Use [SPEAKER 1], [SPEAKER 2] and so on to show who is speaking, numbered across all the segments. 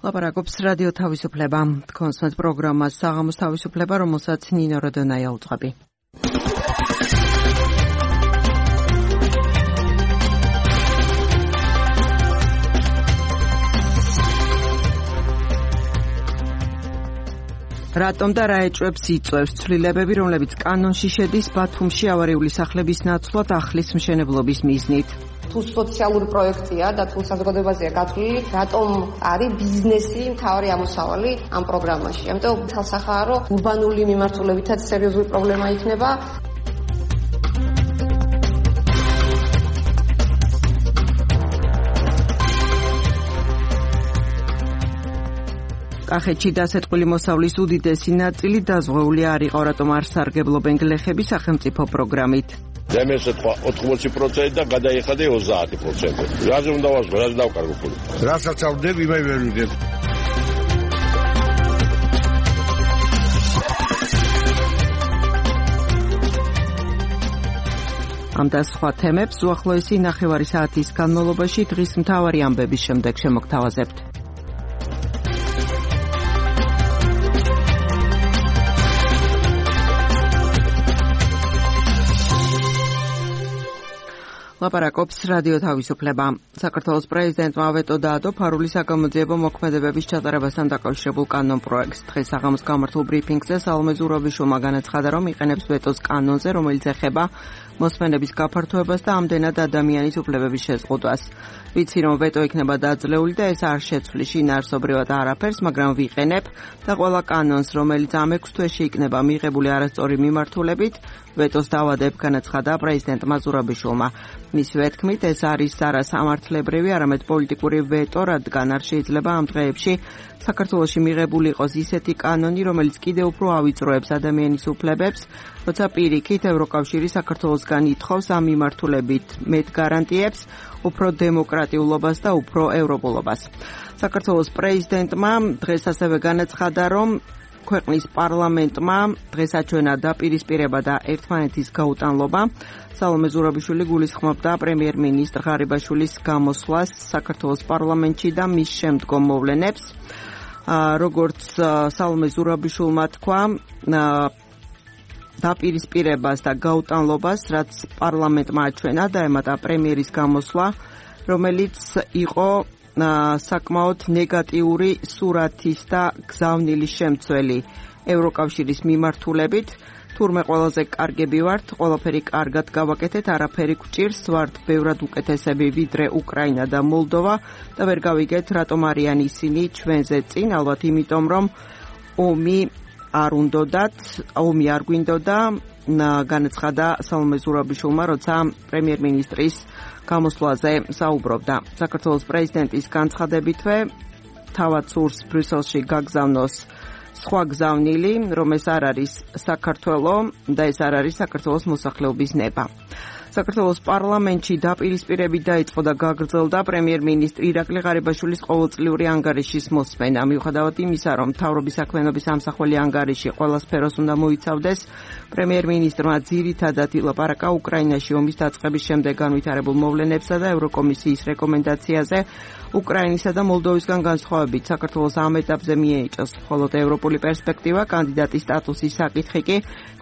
[SPEAKER 1] ლაპარაკობს რადიო თავისუფლება. კონსტანტ პროგრამა საღამოს თავისუფლება, რომელსაც ნინო როდონაია უძღვები. რატომ და რა ეჭვებს იწვევს ცვლილებები, რომლებიც კანონში შედის ბათუმში ავარიული სახლების ნაცვლად ახლის მშენებლობის მიზნით?
[SPEAKER 2] თუ სოციალური პროექტია და თუ საზოგადოებაზეა გათვლილი, რატომ არის ბიზნესი მთავარი ამოსავალი ამ პროგრამაში? ამიტომ თალსახაა, რომ ურბანული მიმართულებითაც სერიოზული პრობლემა იქნება.
[SPEAKER 1] კახეთში დასეტყვილი მოსავლის უდიდესი ნაწილი დაზღვეული არ იყო, რატომ არ სარგებლობენ გლეხები სახელმწიფო პროგრამით.
[SPEAKER 3] ზემეს ეთქვა 80% და გადაიხადა 30%. რაზე უნდა ვაზღვე, რაზე დავკარგო ფული? რასაც ავდებ, იმაი ვერ ვიდებ.
[SPEAKER 1] ამ და სხვა თემებს უახლოესი ნახევარი საათის განმავლობაში დღის მთავარი ამბების შემდეგ შემოგთავაზებთ. ლაპარაკობს რადიო თავისუფლება. საქართველოს პრეზიდენტმა ვეტო დაადო ფარული საგამოძიებო მოქმედებების ჩატარებასთან დაკავშირებულ კანონ პროექტს. დღეს საღამოს გამართულ ბრიფინგზე სალომე ზურაბიშვილმა განაცხადა, რომ იყენებს ვეტოს კანონზე, რომელიც ეხება მოსმენების გაფართოებას და ამდენად ადამიანის უფლებების შეზღუდვას. ვიცი, რომ ვეტო იქნება დაძლეული და ეს არ შეცვლის შინაარსობრივად არაფერს, მაგრამ ვიყენებ და ყველა კანონს, რომელიც ამ 6 თვეში იქნება მიღებული არასწორი მიმართულებით, ვეტოს დავადებ, განაცხადა პრეზიდენტმა ზურაბიშვილმა. მისივე თქმით, ეს არის არა სამართლებრივი, არამედ პოლიტიკური ვეტო, რადგან არ შეიძლება ამ დღეებში საქართველოში მიღებული იყოს ისეთი კანონი, რომელიც კიდევ უფრო ავიწროებს ადამიანის უფლებებს, როცა პირიქით ევროკავშირი საქართველოსგან ითხოვს ამ მიმართულებით მეტ გარანტიებს, უფრო დემოკრატიულობას და უფრო ევროპულობას. საქართველოს პრეზიდენტმა დღეს ასევე განაცხადა, რომ ქვეყნის პარლამენტმა დღეს აჩვენა დაპირისპირება და ერთმანეთის გაუტანლობა. სალომე ზურაბიშვილი გულისხმობდა პრემიერ-მინისტრ ღარიბაშვილის გამოსვლას საქართველოს პარლამენტში და მის შემდგომ მოვლენებს. როგორც სალომე ზურაბიშვილმა თქვა, დაპირისპირებას და გაუტანლობას, რაც პარლამენტმა აჩვენა, დაემატა პრემიერის გამოსვლა, რომელიც იყო საკმაოდ ნეგატიური სურათის და გზავნილის შემცველი ევროკავშირის მიმართულებით. თურმე ყველაზე კარგები ვართ, ყველაფერი კარგად გავაკეთეთ, არაფერი გვჭირს, ვართ ბევრად უკეთესები ვიდრე უკრაინა და მოლდოვა და ვერ გავიგეთ, რატომ არიან ისინი ჩვენზე წინ, ალბათ იმიტომ, რომ ომი არ გვინდოდა, განაცხადა სალომე ზურაბიშვილმა, როცა პრემიერ-მინისტრის გამოსვლაზე საუბრობდა. საქართველოს პრეზიდენტის განცხადებითვე თავად სურს ბრიუსელში გაგზავნოს სხვა გზავნილი, რომ ეს არ არის საქართველო და ეს არ არის საქართველოს მოსახლეობის ნება. საქართველოს პარლამენტში დაპირისპირებით დაიწყო და გაგრძელდა პრემიერ-მინისტრ ირაკლი ღარიბაშვილის ყოველწლიური ანგარიშის მოსმენა. მიუხედავად იმისა, რომ მთავრობის საქმიანობის ამსახველი ანგარიში ყველა სფეროს უნდა მოიცავდეს, პრემიერ-მინისტრმა ძირითადად ილაპარაკა უკრაინაში ომის დაწყების შემდეგ განვითარებულ მოვლენებსა და ევროკომისიის რეკომენდაციაზე. უკრაინისა და მოლდოვისგან განსხვავებით საქართველოს ამ ეტაპზე მიენიჭოს მხოლოდ ევროპული პერსპექტივა, კანდიდატის სტატუსის საკითხი კი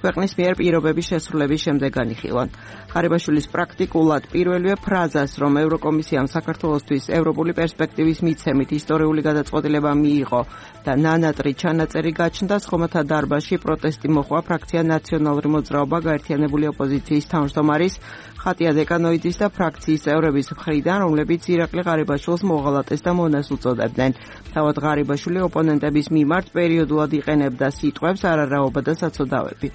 [SPEAKER 1] ქვეყნის მიერ პირობების შესრულების შემდეგ განიხილონ. ღარიბაშვილის პრაქტიკულად პირველივე ფრაზას, რომ ევროკომისიამ საქართველოსთვის ევროპული პერსპექტივის მიცემით ისტორიული გადაწყვეტილება მიიღო და ნანატრი ჩანაწერი გაჩნდა, ხომათა დარბაზში პროტესტი მოხდა ფრაქცია ნაციონალური მოძრაობა გაერთიანებული ოპოზიციის თავმჯდომარის ხატია დეკანოიძის და ფრაქციის წევრების მხრიდან, რომლებიც ირაკლი ღარიბაშვილს მოღალატეს და მონას უწოდებდნენ. თავად ღარიბაშვილი ოპონენტების მიმართ პერიოდულად იყენებდა სიტყვებს არარაობა და საცოდავები.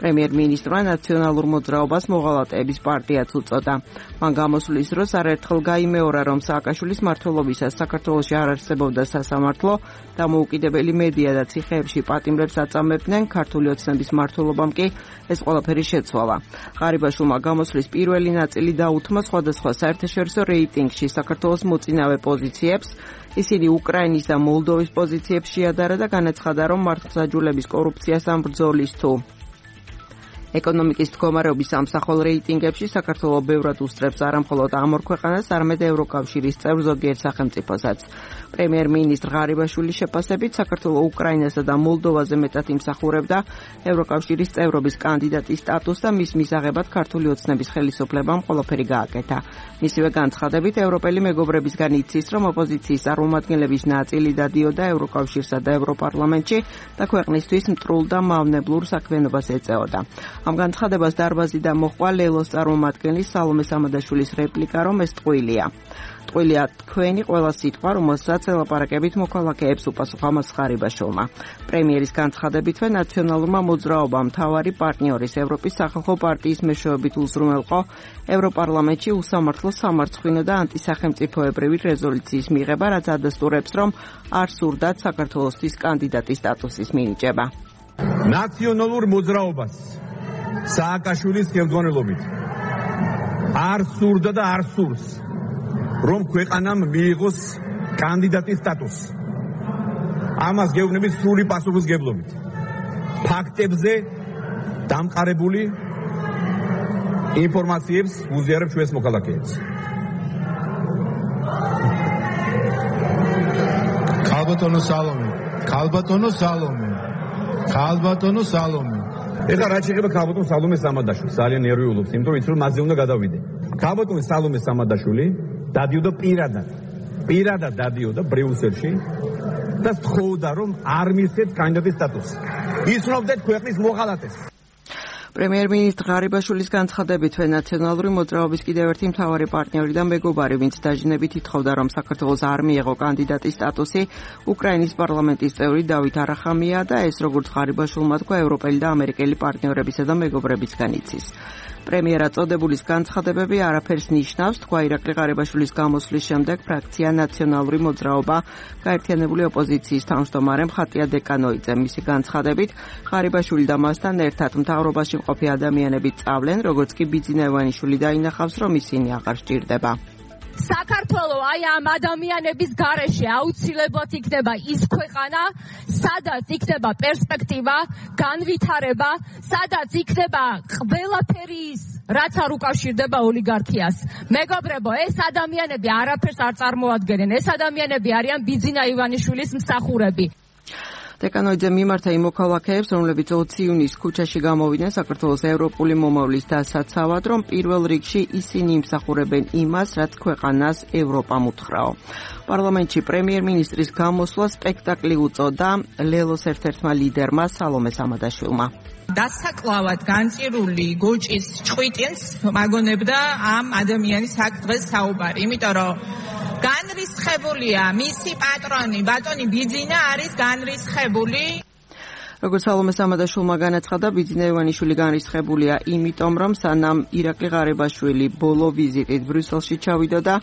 [SPEAKER 1] პრემიერ-მინისტრმა ნაციონალურ მოძრაობას მოღალატეების პარტიაც უწოდა. მან გამოსვლის დროს არაერთხელ გაიმეორა, რომ სააკაშვილის მმართველობისას საქართველოში არ არსებობდა სასამართლო, დამოუკიდებელი მედია და ციხეებში პატიმრებს აწამებდნენ, ქართული ოცნების მმართველობამ კი ეს ყველაფერი შეცვალა. ღარიბაშვილმა გამოსვლის პირველი ნაწილი დაუთმო სხვადასხვა საერთაშორისო რეიტინგში საქართველოს მოწინავე პოზიციებს. ისინი უკრაინის და მოლდოვის პოზიციებს შეადარა და განაცხადა, რომ მართლმსაჯულების კორუფციასთან ბრძოლის თუ ეკონომიკის მდგომარეობის სამსახურ რეიტინგებში საქართველო ბევრად უსწრებს არა მხოლოდ ამ ორ ქვეყანას, არამედ ევროკავშირის წევრ ზოგიერთ სახელმწიფოსაც. პრემიერ-მინისტრ ღარიბაშვილის შეფასებით, საქართველო უკრაინასა და მოლდოვაზე მეტად იმსახურებდა ევროკავშირის წევრობის კანდიდატის სტატუსს და მის მისაღებად ქართული ოცნების ხელისუფლებამ ყველაფერი გააკეთა. მისივე განცხადებით, ევროპელი მეგობრებისგან იცის, რომ ოპოზიციის წარმომადგენლების ნაწილი დადიოდა ევროკავშირსა და ევროპარლამენტში და ქვეყნისთვის მტრულ და მავნებლურ საქმიანობას ეწეოდა. ამ განცხადებას დარბაზიდან მოჰყვა ლელოს წარმომადგენლის სალომე სამადაშვილის რეპლიკა, რომ ეს ტყუილია. ტყუილია თქვენი ყველა სიტყვა, რომელსაც ელაპარაკებით მოქალაქეებს, უპასუხა მას ღარიბაშვილმა. პრემიერის განცხადებითვე ნაციონალურმა მოძრაობამ მთავარი პარტნიორის ევროპის სახალხო პარტიის მეშვეობით უზრუნველყო ევროპარლამენტში უსამართლო სამარცხვინო და ანტისახელმწიფოებრივი რეზოლუციის მიღება, რაც ადასტურებს, რომ არ სურდათ საქართველოსთვის კანდიდატის სტატუსის მინიჭება.
[SPEAKER 4] ნაციონალურ მოძრაობას სააკაშვილის ხელმძღვანელობით არ სურდა და არ სურს, რომ ქვეყანამ მიიღოს კანდიდატის სტატუსი. ამას გეუბნებით სრული პასუხისმგებლობით. ფაქტებზე დამყარებული ინფორმაციებს უზიარებ ჩვენს მოქალაქეებს. ქალბატონო სალომე. ეხლა რაც შეეხება ქალბატონ სალომე სამადაშვილს, ძალიან ნერვიულობს, იმიტომ რომ იცი რომ მასზე უნდა გადავიდე. ქალბატონ სალომე სამადაშვილი დადიოდა პირადად დადიოდა ბრიუსელში და თხოვდა რომ არ მისცეს კანდიდატის სტატუსი. ისროვდეთ ქვეყნის მოღალატეს.
[SPEAKER 1] პრემიერ-მინისტრ ღარიბაშვილის განცხადებითვე ნაციონალური მოძრაობის კიდევ ერთი მთავარი პარტნიორი და მეგობარი, ვინც დაჟინებით ითხოვდა, რომ საქართველოს არ მიეღო კანდიდატის სტატუსი, უკრაინის პარლამენტის წევრი დავით არახამია და ეს როგორც ღარიბაშვილმა თქვა, ევროპელი და ამერიკელი პარტნიორებისა და მეგობრებისგან იცის. პრემიერად წოდებულის განცხადებები არაფერს ნიშნავს, თქვა ირაკლი ღარიბაშვილის გამოსვლის შემდეგ ფრაქცია ნაციონალური მოძრაობა გაერთიანებული ოპოზიციის თავმჯდომარე მხატია დეკანოიძე. მისი განცხადებით, ღარიბაშვილი და მასთან ერთად მთავრობაში მყოფი ადამიანები წავლენ, როგორც კი ბიძინა ივანიშვილი დაინახავს, რომ ისინი აღარ სჭირდება.
[SPEAKER 5] საქართველო აი ამ ადამიანების გარეშე აუცილებლად იქნება ის ქვეყანა, სადაც იქნება პერსპექტივა, განვითარება, სადაც იქნება ყველაფერი ის, რაც არ უკავშირდება ოლიგარქიას. მეგობრებო, ეს ადამიანები არაფერს არ წარმოადგენენ. ეს ადამიანები არიან ბიძინა ივანიშვილის მსახურები.
[SPEAKER 1] დეკანოიძე მიმართა იმ მოქალაქეებს, რომლებიც 20 იუნის ქუჩაში გამოვიდნენ საქართველოს ევროპული მომავლის დასაცავად, რომ პირველ რიგში ისინი იმსახურებენ იმას, რაც ქვეყანას ევროპამ უთხრაო. პარლამენტში პრემიერ-მინისტრის გამოსვლა სპექტაკლი უწოდა ლელოს ერთ-ერთმა ლიდერმა სალომე სამადაშვილმა.
[SPEAKER 6] დასაკლავად განწირული გოჭის ჭყვიტინს მაგონებდა ამ ადამიანის აქ დღეს საუბარი, იმიტომ რომ განრისხებულია მისი პატრონი, ბატონი ბიძინა არის განრისხებული.
[SPEAKER 1] როგორც სალომე სამადაშვილმა განაცხადა, ბიძინა ივანიშვილი განრისხებულია იმიტომ, რომ სანამ ირაკლი ღარიბაშვილი ბოლო ვიზიტით ბრიუსელში ჩავიდოდა,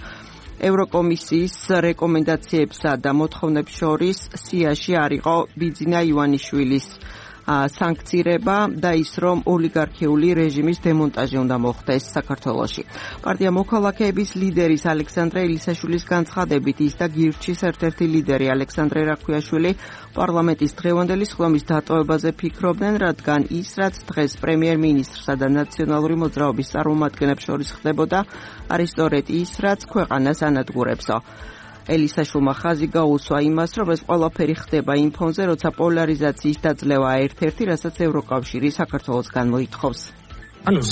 [SPEAKER 1] ევროკომისიის რეკომენდაციებსა და მოთხოვნებს შორის სიაში არ იყო ბიძინა ივანიშვილის სანქცირება და ის, რომ ოლიგარქიული რეჟიმის დემონტაჟი უნდა მოხდეს საქართველოში. პარტია მოქალაქეების ლიდერის ალექსანდრე ელისაშვილის განცხადებით, ის და გირჩის ერთ-ერთი ლიდერი ალექსანდრე რაქვიაშვილი პარლამენტის დღევანდელი სხდომის დატოვებაზე ფიქრობდნენ, რადგან ის, რაც დღეს პრემიერ-მინისტრსა და ნაციონალური მოძრაობის წარმომადგენლებს შორის ხდებოდა, არის სწორედ ის, რაც ქვეყანას ანადგურებსო. ელისაშვილმა ხაზი გაუსვა იმას, რომ ეს ყველაფერი ხდება იმ ფონზე, როცა პოლარიზაციის დაძლევა ერთ-ერთი, რასაც ევროკავშირი საქართველოსგან მოითხოვს.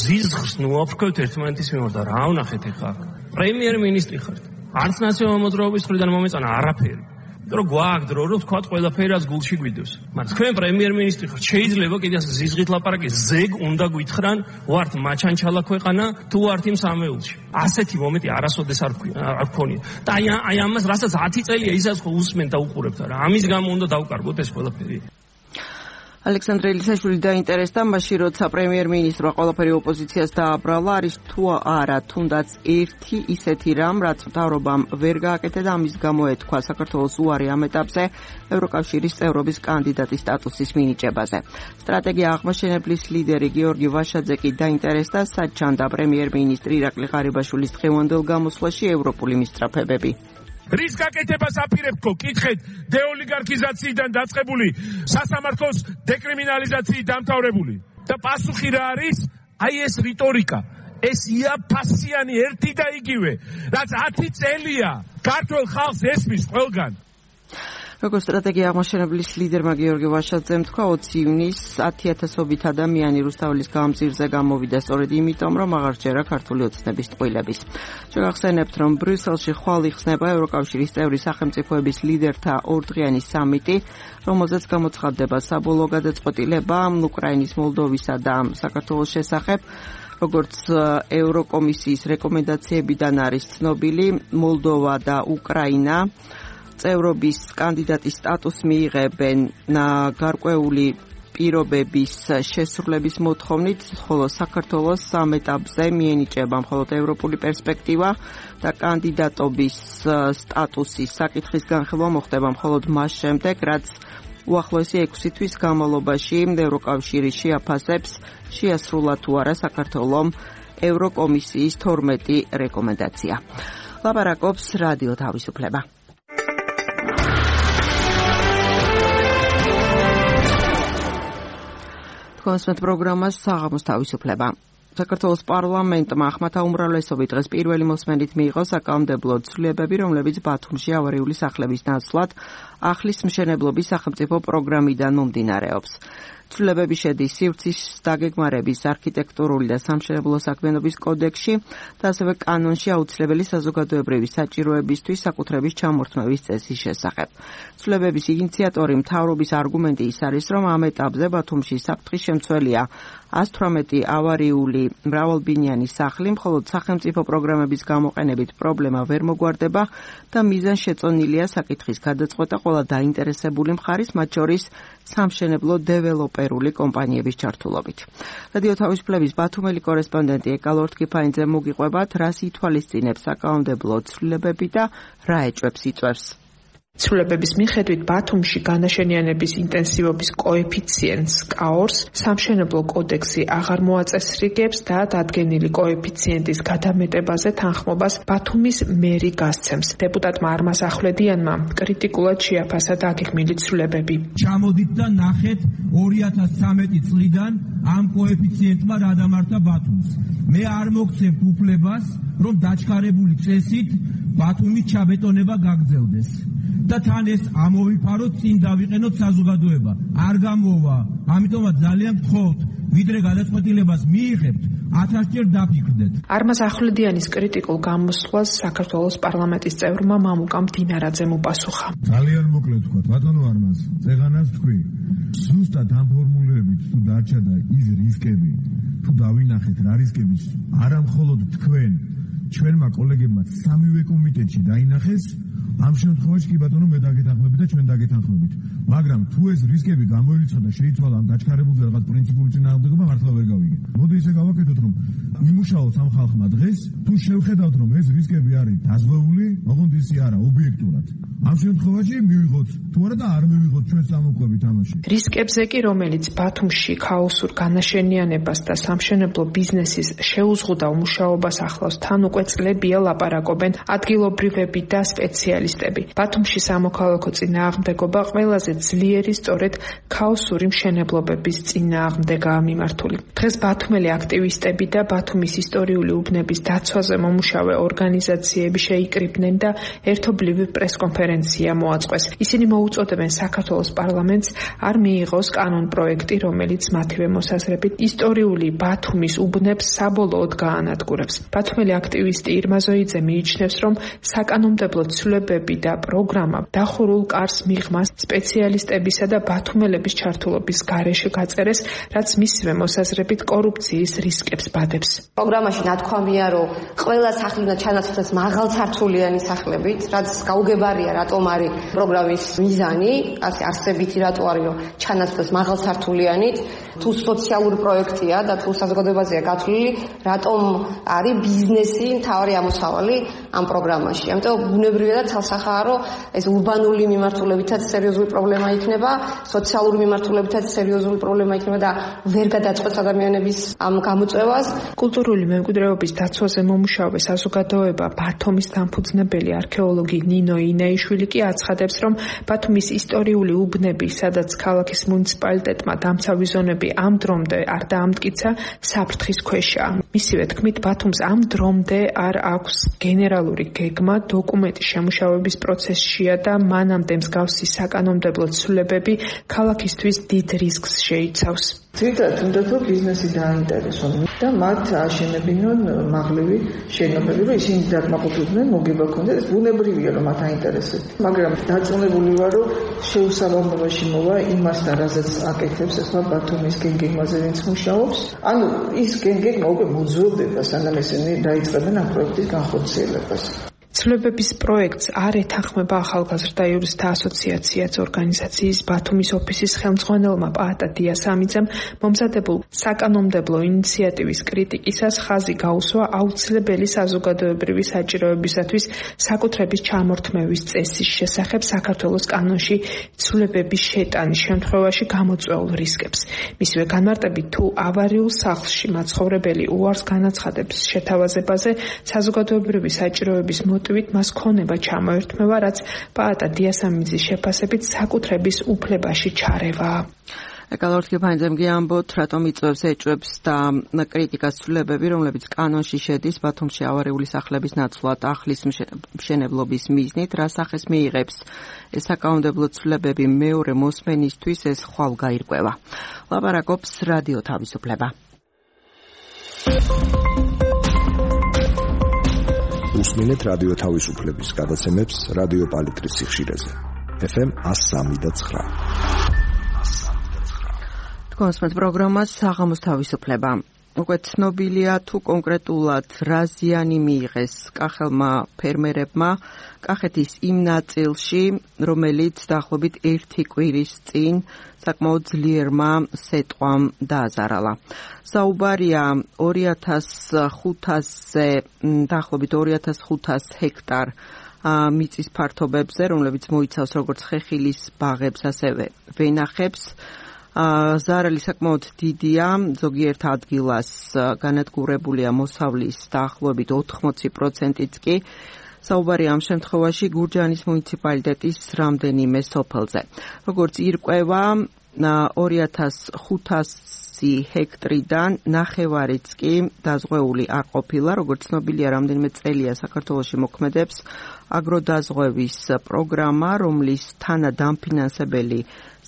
[SPEAKER 7] ზიზღს ნუაფრქვევთ ერთმანეთის მიმართ და რა ვნახეთ ახლა? პრემიერ-მინისტრი ხართ. არც ნაციონალური მოძრაობის მხრიდან მომეწონა არაფერი. რომ გვაქვს დრო, რომ თქვათ ყველაფერი რაც გულში გვიდევს. მაგრამ თქვენ პრემიერ-მინისტრი ხართ, შეიძლება კიდე ზიზღით ლაპარაკი ზეგ უნდა გითხრან, ვართ მაჩანჩალა ქვეყანა, თუ ვართ იმ სამეულში. ასეთი მომენტი არასოდეს არ გქონია. და აი ამას რასაც 10 წელია ისაც ხო უსმენ და უყურებთ რა. ამის გამო უნდა დავკარგოთ ეს ყველაფერი.
[SPEAKER 1] ალექსანდრე ელისაშვილი დაინტერესდა მაშინ, როცა პრემიერ-მინისტრმა ყველაფერი ოპოზიციას დააბრალა, არის თუ არა თუნდაც ერთი ისეთი რამ, რაც მთავრობამ ვერ გააკეთა და ამის გამო ეთქვა საქართველოს უარი ამ ეტაპზე ევროკავშირის წევრობის კანდიდატის სტატუსის მინიჭებაზე. სტრატეგია აღმაშენებლის ლიდერი გიორგი ვაშაძე კი დაინტერესდა, სად ჩანდა პრემიერ-მინისტრი ირაკლი ღარიბაშვილის დღევანდელ გამოსვლაში ევროპული მისწრაფებები.
[SPEAKER 8] რის გაკეთებას აპირებთ ხო? კითხეთ, დეოლიგარქიზაციიდან დაწყებული სასამართლოს დეკრიმინალიზაციით დამთავრებული. და პასუხი რა არის? აი ეს რიტორიკა, ეს იაფასიანი ერთი და იგივე, რაც 10 წელია ქართულ ხალხს ესმის ყველგან.
[SPEAKER 1] როგორც სტრატეგია აღმაშენებლის ლიდერმა გიორგი ვაშაძემ თქვა, 20 ივნისს 10,000-ობით ადამიანი რუსთაველის გამზირზე გამოვიდა სწორედ იმიტომ, რომ აღარ ჯერა ქართული ოცნების ტყუილების. შეგახსენებთ, რომ ბრიუსელში ხვალ იხსნება ევროკავშირის წევრი სახელმწიფოების ლიდერთა ორდღიანი სამიტი, რომელზეც გამოცხადდება საბოლოო გადაწყვეტილება უკრაინის, მოლდოვისა და საქართველოს შესახებ. როგორც ევროკომისიის რეკომენდაციებიდან არის ცნობილი, მოლდოვა და უკრაინა წევრობის კანდიდატის სტატუსს მიიღებენ გარკვეული პირობების შესრულების მოთხოვნით, ხოლო საქართველოს სამ ეტაპზე მიენიჭება მხოლოდ ევროპული პერსპექტივა და კანდიდატობის სტატუსის საკითხის განხილვა მოხდება მხოლოდ მას შემდეგ, რაც უახლოესი 6 თვის განმავლობაში ევროკავშირი შეაფასებს შეასრულა თუ არა საქართველოს ევროკომისიის 12 რეკომენდაცია. ლაპარაკობს რადიო თავისუფლება. კონსმეთ პროგრამას საღამოს თავისუფლება. საქართველოს პარლამენტმა ახმათა უმრავლესობით დღეს პირველი მოსმენით მიიღო საკანონმდებლო ცვლილებები, რომლებიც ბათუმში ავარიული სახლების ნაცვლად ახლის მშენებლობის სახელმწიფო პროგრამიდან მომდინარეობს. ცვლილებები შედის სივრცის დაგეგმარების არქიტექტურული და სამშენებლო საქმიანობის კოდექსში და ასევე კანონში აუცილებელი საზოგადოებრივი საჭიროებისთვის საკუთრების ჩამორთმევის წესის შესახებ. ცვლილებების ინიციატორი მთავრობის არგუმენტი ის არის, რომ ამ ეტაპზე ბათუმში საფრთხის შემცველია 118 ავარიული მრავალბინიანი სახლი, მხოლოდ სახელმწიფო პროგრამების გამოყენებით პრობლემა ვერ მოგვარდება და მიზანშეწონილია საკითხის გადაწყვეტა ყველა დაინტერესებული მხარის, მათ შორის სამშენებლო დეველოპერული კომპანიების ჩართულობით. რადიო თავისუფლების ბათუმელი კორესპონდენტი ეკალორთ კიფაინძე მოგიყვებათ, რას ითვალისწინებს საკანონმდებლო ცვლილებები და რა ეჭვებს იწვევს.
[SPEAKER 9] ცვლილებების მიხედვით ბათუმში განაშენიანების ინტენსივობის კოეფიციენტს კაორს სამშენებლო კოდექსი აღარ მოაწესრიგებს და დადგენილი კოეფიციენტის გადამეტებაზე თანხმობას ბათუმის მერი გასცემს. დეპუტატმა არმაზ ახვლედიანმა კრიტიკულად შეაფასა დაგეგმილი ცვლილებები.
[SPEAKER 10] ჩამოდით და ნახეთ 2013 წლიდან ამ კოეფიციენტმა რა დამართა ბათუმს. მე არ მოგცემთ უფლებას, რომ დაჩქარებული წესით ბათუმის ჩაბეტონება გაგრძელდეს. და თან ეს ამოვიფაროთ, წინ დავიყენოთ საზოგადოება. არ გამოვა, ამიტომაც ძალიან გთხოვთ, ვიდრე გადაწყვეტილებას მიიღებთ, 1000-ჯერ დაფიქრდეთ.
[SPEAKER 9] არმაზ ახვლედიანის კრიტიკულ გამოსვლას საქართველოს პარლამენტის წევრმა მამუკა მდინარაძემ უპასუხა.
[SPEAKER 10] ძალიან მოკლედ ვთქვათ, ბატონო არმაზ, წეღანას თქვი. ზუსტად ამ ფორმულებით თუ დარჩა და ის რისკები, თუ დავინახეთ რა რისკების, არა მხოლოდ თქვენ, ჩვენმა კოლეგებმა სამივე კომიტეტში დაინახეს, ამ შემთხვევაში კი ბატონო მე დაგეთანხმებით და ჩვენ დაგეთანხმებით. მაგრამ თუ ეს რისკები გამოირიცხა და შეიცვალა ამ დაჩქარებული რაღაც პრინციპული წინააღმდეგობა, მართლა ვერ გავიგე. მოდი ისე გავაკეთოთ, რომ იმუშაოთ ამ ხალხმა დღეს, თუ შევხედავთ, რომ ეს რისკები არის დაზღვეული, ოღონდ ისი არა, ობიექტურად. ამ შემთხვევაში მივიღოთ, თუ არა და არ მივიღოთ ჩვენ სამოყვებით ამაში.
[SPEAKER 9] რისკებზე კი, რომელიც ბათუმში ქაოსურ განაშენიანებას და სამშენებლო ბიზნესის შეუზღუდავ მუშაობას ახლავს, თან უკვე წლებია ლაპარაკობენ ადგილობრივები და სპეციალისტები. ბათუმში სამოქალაქო წინააღმდეგობა ყველაზე ძლიერი სწორედ ქაოსური მშენებლობების წინააღმდეგაა მიმართული. დღეს ბათუმელი აქტივისტები და ბათუმის ისტორიული უბნების დაცვაზე მომუშავე ორგანიზაციები შეიკრიბნენ და ერთობლივი პრესკონფერენცია მოაწყვეს. ისინი მოუწოდებენ საქართველოს პარლამენტს არ მიიღოს კანონპროექტი, რომელიც მათივე მოსაზრებით ისტორიული ბათუმის უბნებს საბოლოოდ გაანადგურებს. ბათუმელი აქტივისტი ირმა ზოიძე მიიჩნევს, რომ საკანონმდებლო ცვლილებები და პროგრამა დახურულ კარს მიღმას სპეციალისტებისა და ბათუმელების ჩართულობის გარეშე გაწერეს, რაც მისივე მოსაზრებით კორუფციის რისკებს ბადებს.
[SPEAKER 2] პროგრამაში ნათქვამია, რომ ყველა სახლი უნდა ჩანაცვლდეს მაღალცართულიანი სახლებით, რაც გაუგებარია რატომ არის პროგრამის მიზანი, ასე არსებითი რატო არის, რომ ჩანაცვლდეს მაღალცართულიანით, თუ სოციალური პროექტია და თუ საზოგადოებაზეა გათვლილი, რატომ არის ბიზნესი მთავარი ამოსავალი ამ პროგრამაში. ამიტომ ბუნებრივია და თალსახაა, რომ ეს ურბანული მიმართულებითაც სერიოზული პრობლემა იქნება, სოციალური მიმართულებითაც სერიოზული პრობლემა იქნება და ვერ გადაწყვეტს ადამიანების ამ გამოწვევას.
[SPEAKER 9] კულტურული მემკვიდრეობის დაცვაზე მომუშავე საზოგადოება ბათუმის დამფუძნებელი არქეოლოგი ნინო ინეიშვილი ივანიშვილი კი აცხადებს, რომ ბათუმის ისტორიული უბნები, სადაც ქალაქის მუნიციპალიტეტმა დამცავი ზონები ამ დრომდე არ დაამტკიცა, საფრთხის ქვეშაა. მისივე თქმით, ბათუმს ამ დრომდე არ აქვს გენერალური გეგმა, დოკუმენტის შემუშავების პროცესშია და მანამდე მსგავსი საკანონმდებლო ცვლილებები ქალაქისთვის დიდ რისკს შეიცავს.
[SPEAKER 11] ძირითადად უნდა რომ ბიზნესი დააინტერესონ და მათ აშენებინონ მაღლივი შენობები, რომ ისინი დაკმაყოფილდნენ, მოგება ქონდეს, ეს ბუნებრივია რომ მათ აინტერესებს. მაგრამ დარწმუნებული ვარ, რომ შეუსაბამობაში მოვა იმასთან, რასაც აკეთებს ახლა ბათუმის გენგეგმაზე, ვინც მუშაობს. ანუ ის გენგეგმა უკვე მოძველდება, სანამ ესენი დაიწყებენ ამ პროექტის განხორციელებას.
[SPEAKER 9] ცვლილებების პროექტს არ ეთანხმება ახალგაზრდა იურისტთა ასოციაციაც ორგანიზაციის ბათუმის ოფისის ხელმძღვანელმა პაატა დიასამიძემ მომზადებულ საკანონმდებლო ინიციატივის კრიტიკისას ხაზი გაუსვა აუცილებელი საზოგადოებრივი საჭიროებისათვის საკუთრების ჩამორთმევის წესის შესახებ საქართველოს კანონში ცვლილებების შეტანის შემთხვევაში გამოწვეულ რისკებს. მისივე განმარტებით, თუ ავარიულ სახლში მაცხოვრებელი უარს განაცხადებს შეთავაზებაზე, საზოგადოებრივი საჭიროების მოტივით მას ქონება ჩამოერთმევა, რაც პაატა დიასამიძის შეფასებით საკუთრების უფლებაში ჩარევაა.
[SPEAKER 1] ეკალორთგებანძემ გიამბოთ, რატომ იწვევს ეჭვებს და კრიტიკას ცვლილებები, რომლებიც კანონში შედის ბათუმში ავარიული სახლების ნაცვლად ახლის მშენებლობის მიზნით, რა სახეს მიიღებს ეს საკანონმდებლო ცვლილებები მეორე მოსმენისთვის ეს ხვალ გაირკვევა. ლაპარაკობს რადიო თავისუფლება.
[SPEAKER 12] უსმინეთ რადიო თავისუფლების გადაცემებს რადიო პალიტრის სიხშირეზე. FM 103.9.
[SPEAKER 1] კონსმეთ პროგრამას საღამოს თავისუფლება. უკვე ცნობილია თუ კონკრეტულად რა ზიანი მიიღეს კახელმა ფერმერებმა კახეთის იმ ნაწილში, რომელიც დაახლოებით 1 კვირის წინ საკმაოდ ძლიერმა სეტყვამ დააზარალა. საუბარია 2500-ზე, დაახლოებით 2500 ჰექტარ მიწის ფართობებზე, რომლებიც მოიცავს როგორც ხეხილის ბაღებს, ასევე ვენახებს. ზარალი საკმაოდ დიდია, ზოგიერთ ადგილას განადგურებულია მოსავლის დაახლოებით 80%-იც კი. საუბარია ამ შემთხვევაში გურჯაანის მუნიციპალიტეტის რამდენიმე სოფელზე. როგორც ირკვევა, 2500 ჰექტრიდან ნახევარიც კი დაზღვეული არ ყოფილა, როგორც ცნობილია, რამდენიმე წელია საქართველოში მოქმედებს აგროდაზღვევის პროგრამა, რომლის თანადამფინანსებელი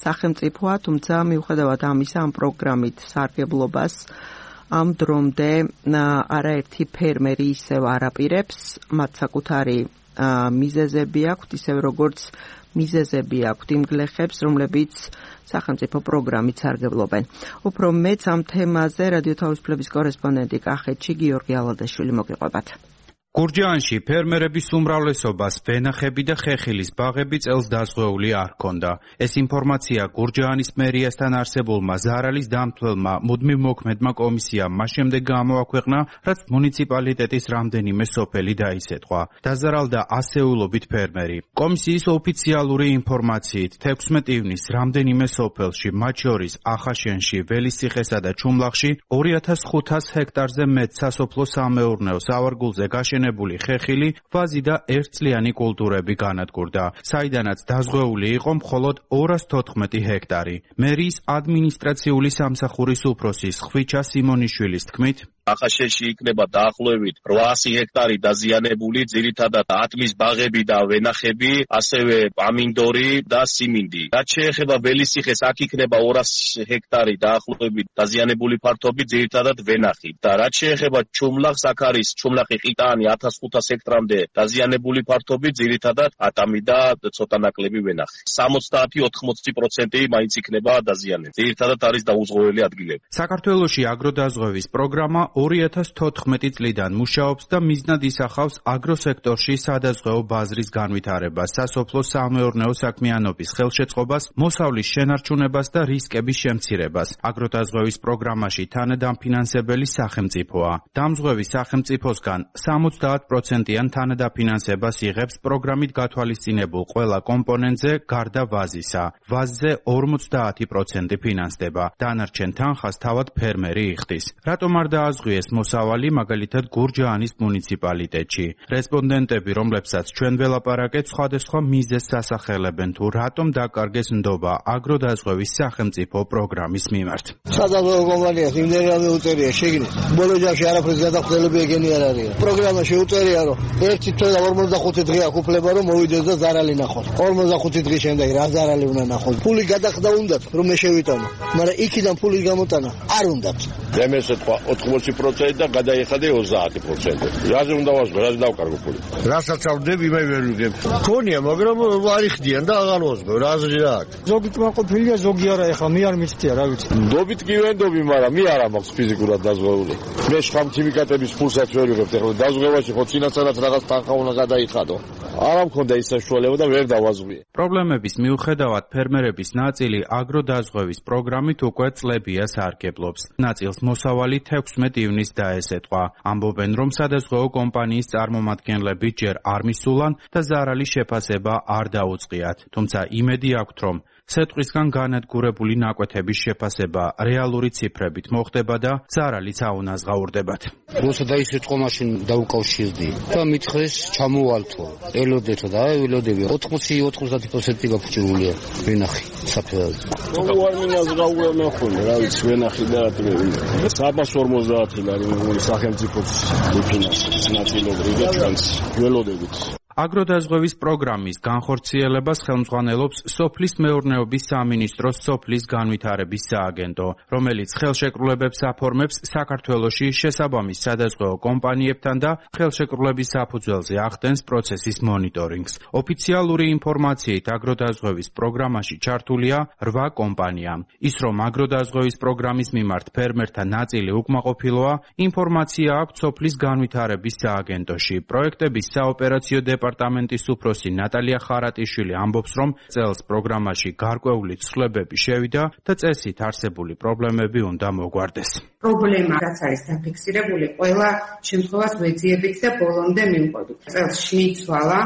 [SPEAKER 1] სახელმწიფოა, თუმცა მიუხედავად ამისა, ამ პროგრამით სარგებლობას ამ დრომდე არაერთი ფერმერი ისევ არ აპირებს, მათ საკუთარი მიზეზები აქვთ, ისევ როგორც მიზეზები აქვთ იმ გლეხებს, რომლებიც სახელმწიფო პროგრამით სარგებლობენ. უფრო მეც ამ თემაზე რადიო თავისუფლების კორესპონდენტი კახეთში გიორგი ალადაშვილი მოგიყვებათ.
[SPEAKER 13] გურჯაანში ფერმერების უმრავლესობას ვენახები და ხეხილის ბაღები წელს დაზღვეული არ ჰქონდა. ეს ინფორმაცია გურჯაანის მერიასთან არსებულმა ზარალის დამთვალმა მუდმივ მოქმედმა კომისიამ მას შემდეგ გამოაქვეყნა, რაც მუნიციპალიტეტის რამდენიმე სოფელი დაისეტყვა. დაზარალდა ასეულობით ფერმერი. კომისიის ოფიციალური ინფორმაციით 16 ივნის რამდენიმე სოფელში, მათ შორის ახაშენში, ველისციხესა და ჩუმლახში 2500 ჰექტარზე მეტ სასოფლო სამეურნეო სავარგულზე გაშენებული ხეხილი, ვაზი და ერთწლიანი კულტურები განადგურდა, საიდანაც დაზღვეული იყო მხოლოდ 214 ჰექტარი. მერიის ადმინისტრაციული სამსახურის უფროსის ხვიჩა სიმონიშვილის თქმით,
[SPEAKER 14] ახაშენში იქნება დაახლოებით 800 ჰექტარი დაზიანებული, ძირითადად ატმის ბაღები და ვენახები, ასევე პამინდორი და სიმინდი. რაც შეეხება ველისციხეს, აქ იქნება 200 ჰექტარი დაახლოებით დაზიანებული ფართობი, ძირითადად ვენახი. და რაც შეეხება ჩუმლახს, აქ არის ჩუმლახი ყიტანი 1500 ჰექტრამდე დაზიანებული ფართობი, ძირითადად ატამი და ცოტა ნაკლები ვენახი. 70-80% მაინც იქნება დაზიანებული. ძირითადად არის დაუზღვეველი ადგილები.
[SPEAKER 13] საქართველოში აგროდაზღვევის პროგრამა 2014 წლიდან მუშაობს და მიზნად ისახავს აგროსექტორში სადაზღვეო ბაზრის განვითარებას, სასოფლო სამეურნეო საქმიანობის ხელშეწყობას, მოსავლის შენარჩუნებას და რისკების შემცირებას. აგროდაზღვევის პროგრამაში თანადამფინანსებელი სახელმწიფოა. დამზღვევის სახელმწიფოსგან 70%-იან თანადაფინანსებას იღებს პროგრამით გათვალისწინებულ ყველა კომპონენტზე გარდა ვაზისა. ვაზზე 50% ფინანსდება. დანარჩენ თანხას თავად ფერმერი იხდის. რატომ არ დააზღვიეს უღიეს მოსავალი მაგალითად გურჯაანის მუნიციპალიტეტში. რესპონდენტები, რომლებსაც ჩვენ ველაპარაკეთ, სხვადასხვა მიზეზს ასახელებენ თუ რატომ დაკარგეს ნდობა აგროდაზღვევის სახელმწიფო პროგრამის მიმართ.
[SPEAKER 15] სადაზღვევო კომპანიას იმდენად უწერია შეგნით. ბოლო ჯამში არაფერს გადახდელები ეგენი არ არის. პროგრამა შეუწერია რომ ერთი თვე და 45 დღე აქვს უფლება რომ მოვიდეს და ზარალი ნახოს. 45 დღის შემდეგ რა ზარალი უნდა ნახოს? ფული გადახდა უნდათ რომ მე შევიტანო. მაგრამ იქიდან ფულის გამოტანა არ უნდათ.
[SPEAKER 3] დემეს ეთქვა 80% და გადაიხადე 30%. რაზე უნდა ვაზრო, რაზე დავკარგო ფული? რასაც ავდები, მე ვერ ვიგებ. ქონია, მაგრამ არ იხდიან და აღარ ვაზრო, რაზე რა აქვს.
[SPEAKER 16] ზოგი კმაყოფილია, ზოგი არა, ეხლა მე არ მიცდია, რა ვიცი.
[SPEAKER 3] ნდობით კი ვენდობი, მაგრამ მე არ მაქვს ფიზიკურად დაზღვეული. მე შხამ ქიმიკატების ფულსაც ვერ ვიღებ, ეხლა დაზღვევაში ხო წინასწარად რაღაც თანხა უნდა გადაიხადო. არ მქონდა ის საშუალება და ვერ დავაზღვიე.
[SPEAKER 13] პრობლემების მიუხედავად ფერმერების ნაწილი აგროდაზღვევის პროგრამით უკვე წლებია სარგებლობს. ნაწილს მოსავალი 16 ივნისს დაესეტყვა. ამბობენ, რომ სადაზღვეო კომპანიის წარმომადგენლები ჯერ არ მისულან და ზარალის შეფასება არ დაუწყიათ. თუმცა იმედი აქვთ, რომ სეტყვისგან განადგურებული ნაკვეთების შეფასება რეალური ციფრებით მოხდება და ზარალიც აუნაზღაურდებათ.
[SPEAKER 17] როცა დაისწრო მაშინ დაუკავშირდი და მითხრეს ჩამოვალთო. ელოდეთო და ელოდები 80-90% გაფუჭებულია. ვენახი საფერად.
[SPEAKER 3] როგორ მინაზღაურა ნახონი, რა ვიცი, ვენახი და რატომ. 350 ლარი სახელმწიფოს დეფინანსებს ნაწილობრივ და ჩვენს ველოდებით.
[SPEAKER 13] აგროდაზღვევის პროგრამის განხორციელებას ხელმძღვანელობს სოფლის მეურნეობის სამინისტროს სოფლის განვითარების სააგენტო, რომელიც ხელშეკრულებებს აფორმებს საქართველოში შესაბამის სადაზღვეო კომპანიებთან და ხელშეკრულების საფუძველზე ახდენს პროცესის მონიტორინგს. ოფიციალური ინფორმაციით აგროდაზღვევის პროგრამაში ჩართულია 8 კომპანია. ის, რომ აგროდაზღვევის პროგრამის მიმართ ფერმერთა ნაწილი უკმაყოფილოა, ინფორმაცია აქვს სოფლის განვითარების სააგენტოში. პროექტების საოპერაციო დეპარტამენტის უფროსი ნატალია ხარატიშვილი ამბობს, რომ წელს პროგრამაში გარკვეული ცვლილებები შევიდა და წესით არსებული პრობლემები უნდა მოგვარდეს.
[SPEAKER 18] პრობლემა, რაც არის დაფიქსირებული, ყველა შემთხვევას ვეძიებით და ბოლომდე მივყოდით. წელს შეიცვალა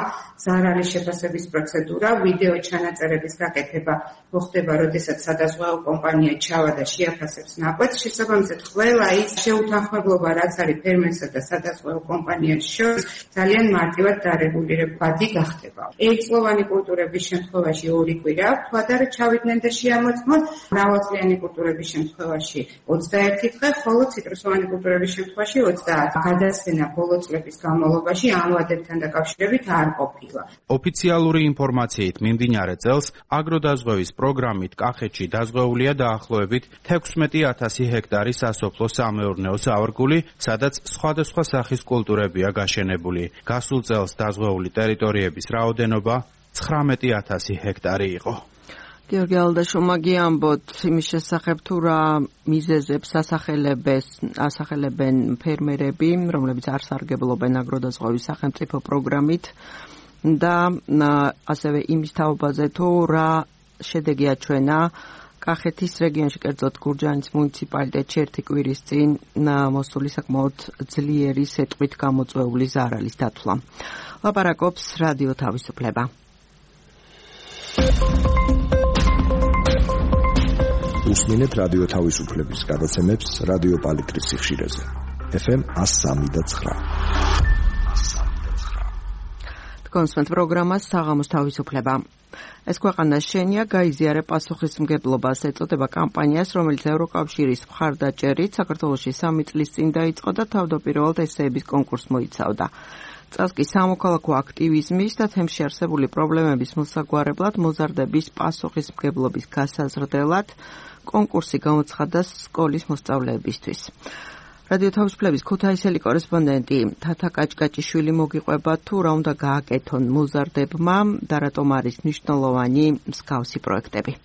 [SPEAKER 18] ზარალის შეფასების პროცედურა, ვიდეო ჩანაწერების გაკეთება მოხდება, როდესაც სადაზღვეო კომპანია ჩავა და შეაფასებს ნაკვეთს. შესაბამისად, ყველა ის შეუთანხმებლობა, რაც არის ფერმერსა და სადაზღვეო კომპანიებს შორის, ძალიან მარტივად დარეგულირებადი გახდება. ერთწლოვანი კულტურების შემთხვევაში 2 კვირა აქვს, და ჩავიდნენ და შეამოწმოთ. მრავალწლიანი კულტურების შემთხვევაში 21 დღე, ხოლო ციტრუსოვანი კულტურების შემთხვევაში 30. გადასვენა ბოლო წლების განმავლობაში ამ ვადებთან დაკავშირებით არ ყოფილა.
[SPEAKER 13] ოფიციალური ინფორმაციით მიმდინარე წელს აგროდაზღვევის პროგრამით კახეთში დაზღვეულია დაახლოებით 16,000 ჰექტარი სასოფლო-სამეურნეო სავარგული, სადაც სხვადასხვა სახის კულტურებია გაშენებული. გასულ წელს დაზღვეული ტერიტორიების რაოდენობა 19,000 ჰექტარი იყო.
[SPEAKER 1] გიორგი ალდაშომა გიამბოთ იმის შესახებ თუ რა მიზეზებს ასახელებენ ფერმერები, რომლებიც არ სარგებლობენ აგროდაზღვევის სახელმწიფო პროგრამით და ასევე იმის თაობაზე თუ რა შედეგი აჩვენა კახეთის რეგიონში, კერძოდ გურჯაანის მუნიციპალიტეტში 1 კვირის წინ მოსული საკმაოდ ძლიერი სეტყვით გამოწვეული ზარალის დათვლა. ლაპარაკობს რადიო თავისუფლება.
[SPEAKER 12] უსმინეთ რადიო თავისუფლების გადაცემებს რადიო პალიტრის სიხშირეზე. FM 103.9.
[SPEAKER 1] კონსვენთ პროგრამას საღამოს თავისუფლება. ეს ქვეყანა შენია გაიზიარე პასუხისმგებლობას ეწოდება კამპანიას, რომელიც ევროკავშირის მხარდაჭერით საქართველოში 3 წლის წინ დაიწყო და თავდაპირველად ესეების კონკურსს მოიცავდა. წელს კი სამოქალაქო აქტივიზმის და თემში არსებული პრობლემების მოსაგვარებლად მოზარდების პასუხისმგებლობის გასაზრდელად კონკურსი გამოცხადდა სკოლის მოსწავლეებისთვის. რადიო თავისუფლების ქუთაისელი კორესპონდენტი თათა კაჭკაჭიშვილი მოგიყვება თუ რა უნდა გააკეთონ მოზარდებმა და რატომ არის მნიშვნელოვანი მსგავსი პროექტები.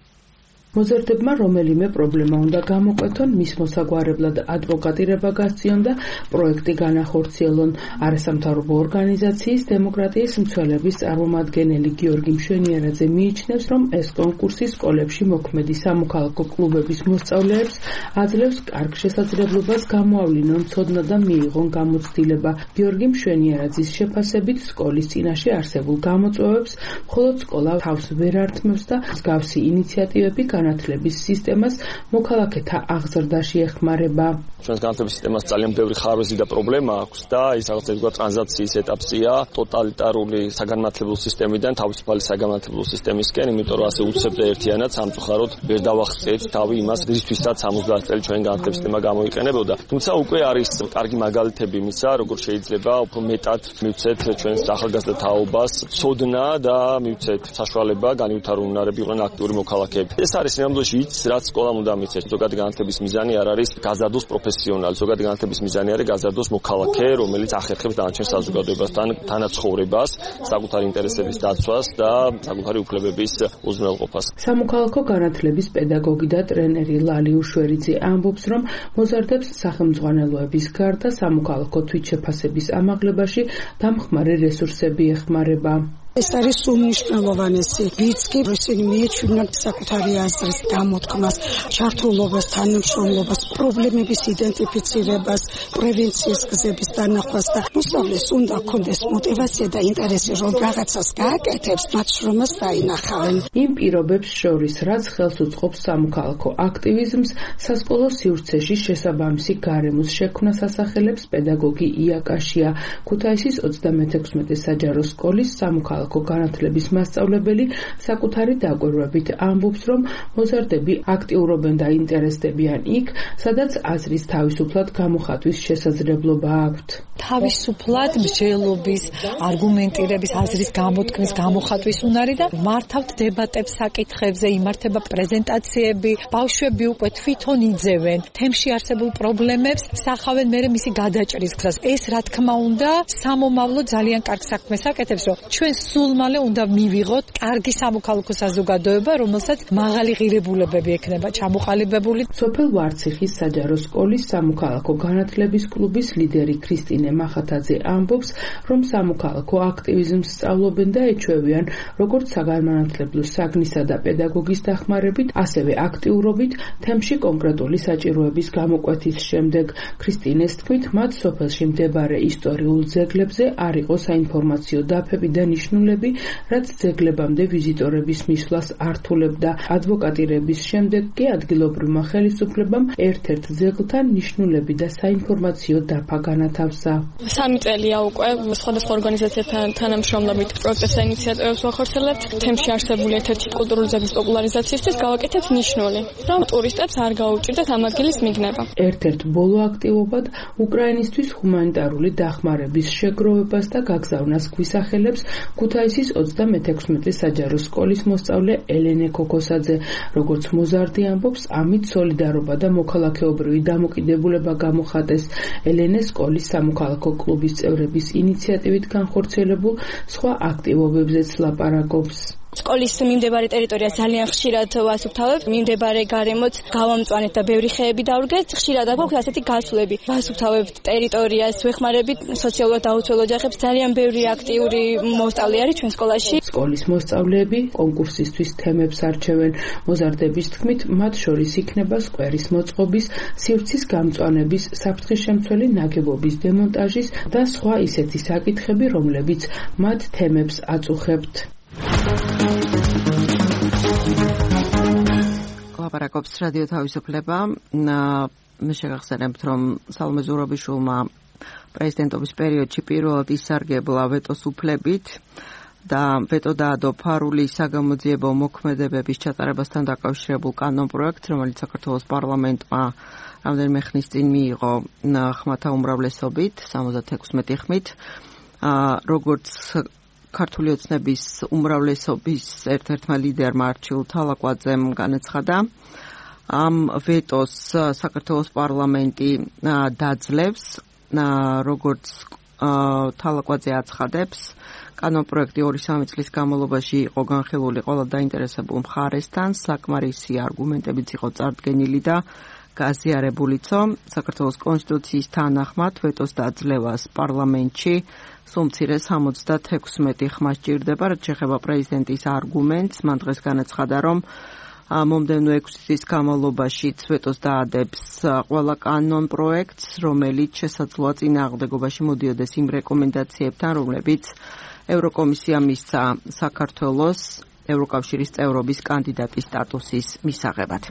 [SPEAKER 9] მოზარდებმა რომელიმე პრობლემა უნდა გამოკვეთონ, მის მოსაგვარებლად ადვოკატირება გასწიონ და პროექტი განახორციელონ. არასამთავრობო ორგანიზაციის დემოკრატიის მცველების წარმომადგენელი გიორგი მშვენიერაძე მიიჩნევს, რომ ეს კონკურსი სკოლებში მოქმედი სამოქალაქო კლუბების მოსწავლეებს აძლევს კარგ შესაძლებლობას გამოავლინონ ცოდნა და მიიღონ გამოცდილება. გიორგი მშვენიერაძის შეფასებით სკოლის წინაშე არსებულ გამოწვევებს მხოლოდ სკოლა თავს ვერ ართმევს და მსგავსი ინიციატივები განათლების სისტემას მოქალაქეთა აღზრდაში ეხმარება.
[SPEAKER 19] ჩვენს განათლების სისტემას ძალიან ბევრი ხარვეზი და პრობლემა აქვს და ის რაღაცა ტრანზიციის ეტაპზეა ტოტალიტარული საგანმანათლებლო სისტემიდან თავისუფალი საგანმანათლებლო სისტემისკენ, იმიტომ რომ ასე უცებდა ერთიანად სამწუხაროდ ვერ დავახცეთ თავი იმას, რისთვისაც 70 წელი ჩვენ განათლების სისტემა გამოიყენებოდა. თუმცა უკვე არის კარგი მაგალითები იმისა, როგორ შეიძლება უფრო მეტად მივცეთ ჩვენს ახალგაზრდა თაობას ცოდნა და მივცეთ საშუალება განვითარებული უნარები იყვნენ აქტიური მოქალაქეები. ეს არის ნამდვილად ის, რაც სკოლამ უნდა მიცეს. ზოგადი განათლების მიზანი არ არის გაზარდოს პროფესიონალი, ზოგადი განათლების მიზანი არის გაზარდოს მოქალაქე, რომელიც ახერხებს დანარჩენ საზოგადოებასთან თანაცხოვრებას, საკუთარი ინტერესების დაცვას და საკუთარი უფლებების უზრუნველყოფას.
[SPEAKER 9] სამოქალაქო განათლების პედაგოგი და ტრენერი ლალი უშვერიძე ამბობს, რომ მოზარდებს სახელმძღვანელოების გარდა სამოქალაქო თვითშეფასების ამაღლებაში დამხმარე რესურსები ეხმარება.
[SPEAKER 20] ეს არის უმნიშვნელოვანესი. ვინც კი ისინი მიეჩვენენ საკუთარი აზრის გამოთქმას, ჩართულობას, თანამშრომლობას, პრობლემების იდენტიფიცირებას, პრევენციის გზების დანახვას და მოსწავლეს უნდა ჰქონდეს мотиваცია და ინტერესი, რომ რაღაცას გააკეთებს, მათ შრომას დაინახავენ.
[SPEAKER 9] იმ პირობებს შორის, რაც ხელს უწყობს სამოქალაქო აქტივიზმს, სასკოლო სივრცეში შესაბამისი გარემოს შექმნას ასახელებს პედაგოგი იაკაშია. ქუთაისის 36 საჯარო სკოლის სამოქალაქო განათლების მასწავლებელი საკუთარი დაკვირვებით ამბობს, რომ მოზარდები აქტიურობენ და ინტერესდებიან იქ, სადაც აზრის თავისუფლად გამოხატვის შესაძლებლობა აქვთ.
[SPEAKER 21] თავისუფლად მსჯელობის, არგუმენტირების, აზრის გამოთქმის, გამოხატვის უნარი და მართავთ დებატებს საკითხებზე, იმართება პრეზენტაციები, ბავშვები უკვე თვითონ იძევენ თემში არსებულ პრობლემებს, სახავენ მერე მისი გადაჭრის გზას. ეს რა თქმა უნდა, სამომავლო ძალიან კარგ საქმეს აკეთებს, რომ ჩვენ სულ მალე უნდა მივიღოთ კარგი სამოქალაქო საზოგადოება, რომელსაც მაღალი ღირებულებები ექნება ჩამოყალიბებული.
[SPEAKER 9] სოფელ ვარციხის საჯარო სკოლის სამოქალაქო განათლების კლუბის ლიდერი ქრისტინე მახათაძე ამბობს, რომ სამოქალაქო აქტივიზმს სწავლობენ და ეჩვევიან როგორც საგანმანათლებლო საგნისა და პედაგოგის დახმარებით, ასევე აქტიურობით თემში კონკრეტული საჭიროების გამოკვეთის შემდეგ. ქრისტინეს თქმით, მათ სოფელში მდებარე ისტორიულ ძეგლებზე არ იყო საინფორმაციო დაფები და ნიშნულები, რაც ძეგლებამდე ვიზიტორების მისვლას ართულებდა. ადვოკატირების შემდეგ კი ადგილობრივმა ხელისუფლებამ ერთ-ერთ ძეგლთან ნიშნულები და საინფორმაციო დაფა განათავსა.
[SPEAKER 22] 3 წელია უკვე სხვადასხვა ორგანიზაციებთან თანამშრომლობით პროექტებს და ინიციატივებს ვახორციელებთ. თემში არსებული ერთ-ერთი კულტურული ძეგლის პოპულარიზაციისთვის გავაკეთებთ ნიშნული, რომ ტურისტებს არ გაუჭირდეთ ამ ადგილის მიგნება.
[SPEAKER 9] ერთ-ერთ ბოლო აქტივობად უკრაინისთვის ჰუმანიტარული დახმარების შეგროვებას და გაგზავნას გვისახელებს ქუთაისის 36 საჯარო სკოლის მოსწავლე ელენე ქოქოსაძე. როგორც მოზარდი ამბობს, ამით სოლიდარობა და მოქალაქეობრივი დამოკიდებულება გამოხატეს. ელენე სკოლის სამოქალაქო კლუბის წევრების ინიციატივით განხორციელებულ სხვა აქტივობებზეც ლაპარაკობს.
[SPEAKER 22] სკოლის მიმდებარე ტერიტორია ძალიან ხშირად ვასუფთავებთ, მიმდებარე გარემოც გავამწვანეთ და ბევრი ხეები დავრგეთ. ხშირად აგვაქვს ასეთი გასვლები. ვასუფთავებთ ტერიტორიას, ვეხმარებით სოციალურად დაუცველ ოჯახებს. ძალიან ბევრი აქტიური მოსწავლე არის ჩვენ სკოლაში.
[SPEAKER 9] სკოლის მოსწავლეები კონკურსისთვის თემებს არჩევენ. მოზარდების თქმით, მათ შორის იქნება სკვერის მოწყობის, სივრცის გამწვანების, საფრთხის-შემცველი ნაგებობის დემონტაჟის და სხვა ისეთი საკითხები, რომლებიც მათ თემებს აწუხებთ.
[SPEAKER 1] ლაპარაკობს რადიო თავისუფლება. შეგახსენებთ, რომ სალომე ზურაბიშვილმა პრეზიდენტობის პერიოდში პირველად ისარგებლა ვეტოს უფლებით და ვეტო დაადო ფარულის საგამოძიებო მოქმედებების ჩატარებასთან დაკავშირებულ კანონპროექტს, რომელიც საქართველოს პარლამენტმა რამდენიმე ხნის წინ მიიღო ხმათა უმრავლესობით, 76 ხმით. როგორც ქართული ოცნების უმრავლესობის ერთ-ერთმა ლიდერმა არჩილ თალაკვაძემ განაცხადა, ამ ვეტოს საქართველოს პარლამენტი დაძლევს, როგორც თალაკვაძე აცხადებს, კანონპროექტი 2-3 წლის განმავლობაში იყო განხილული ყველა დაინტერესებულ მხარესთან, საკმარისი არგუმენტებიც იყო წარდგენილი და გაზიარებულიცო. საქართველოს კონსტიტუციის თანახმად ვეტოს დაძლევას პარლამენტში სულ მცირე 76 ხმა სჭირდება, რაც შეეხება პრეზიდენტის არგუმენტს. მან დღეს განაცხადა, რომ მომდევნო 6 წლის განმავლობაში ვეტოს დაადებს ყველა კანონპროექტს, რომელიც შესაძლოა წინააღმდეგობაში მოდიოდეს იმ რეკომენდაციებთან, რომლებიც ევროკომისია მისცა საქართველოს ევროკავშირის წევრობის კანდიდატის სტატუსის მისაღებად.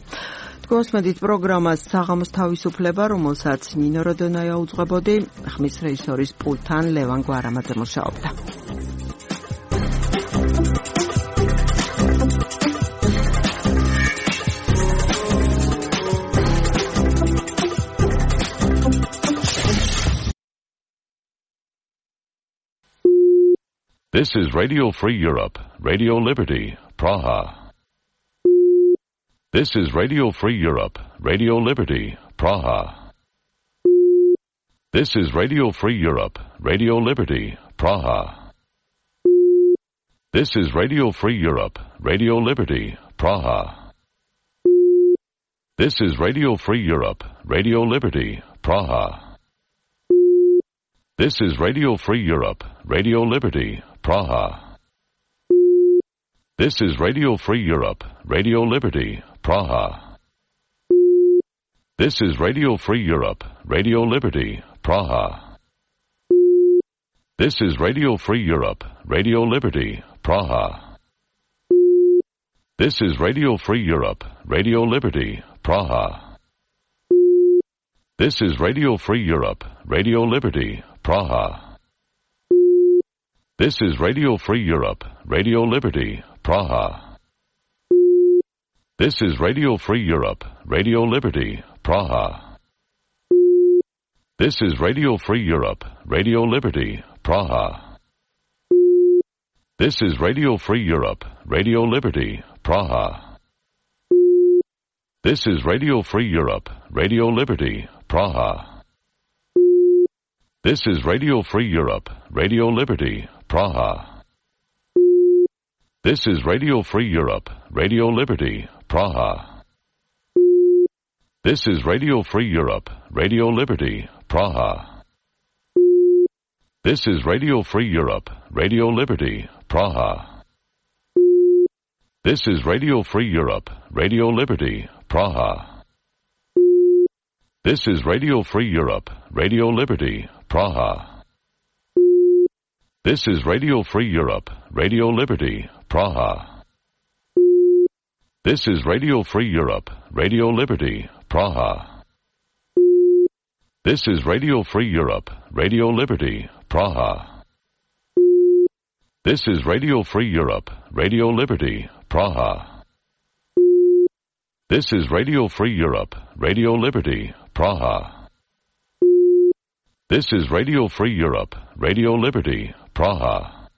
[SPEAKER 1] Თქვენსმენთ პროგრამას საღამოს თავისუფლება, რომელსაც ნინო როდონაია უძღვებოდი, ხმის რეჟისორის პულტთან ლევან გვარამაძე მუშაობდა.
[SPEAKER 4] This is Radio Free Europe, Radio Liberty, Praha. This is Radio Free Europe, Radio Liberty, Praha. This is Radio Free Europe, Radio Liberty, Praha. This is Radio Free Europe, Radio Liberty, Praha. This is Radio Free Europe, Radio Liberty, Praha. This is Radio Free Europe, Radio Liberty, Praha. This is Radio Free Europe, Radio Liberty, Praha. This is Radio Free Europe, Radio Liberty, Praha. This is Radio Free Europe, Radio Liberty, Praha. This is Radio Free Europe, Radio Liberty, Praha. This is Radio Free Europe, Radio Liberty, Praha. This is Radio Free Europe, Radio Liberty, Praha. This is Radio Free Europe, Radio Liberty, Praha. This is Radio Free Europe, Radio Liberty, Praha. This is Radio Free Europe, Radio Liberty, Praha. This is Radio Free Europe, Radio Liberty, Praha. This is Radio Free Europe, Radio Liberty, Praha. This is Radio Free Europe, Radio Liberty, Praha. This is Radio Free Europe, Radio Liberty, Praha. This is Radio Free Europe, Radio Liberty, Praha. This is Radio Free Europe, Radio Liberty, Praha. This is Radio Free Europe, Radio Liberty, Praha. This is Radio Free Europe, Radio Liberty, Praha. This is Radio Free Europe, Radio Liberty, Praha. This is Radio Free Europe, Radio Liberty, Praha. This is Radio Free Europe, Radio Liberty, Praha. This is Radio Free Europe, Radio Liberty, Praha. This is Radio Free Europe, Radio Liberty, Praha.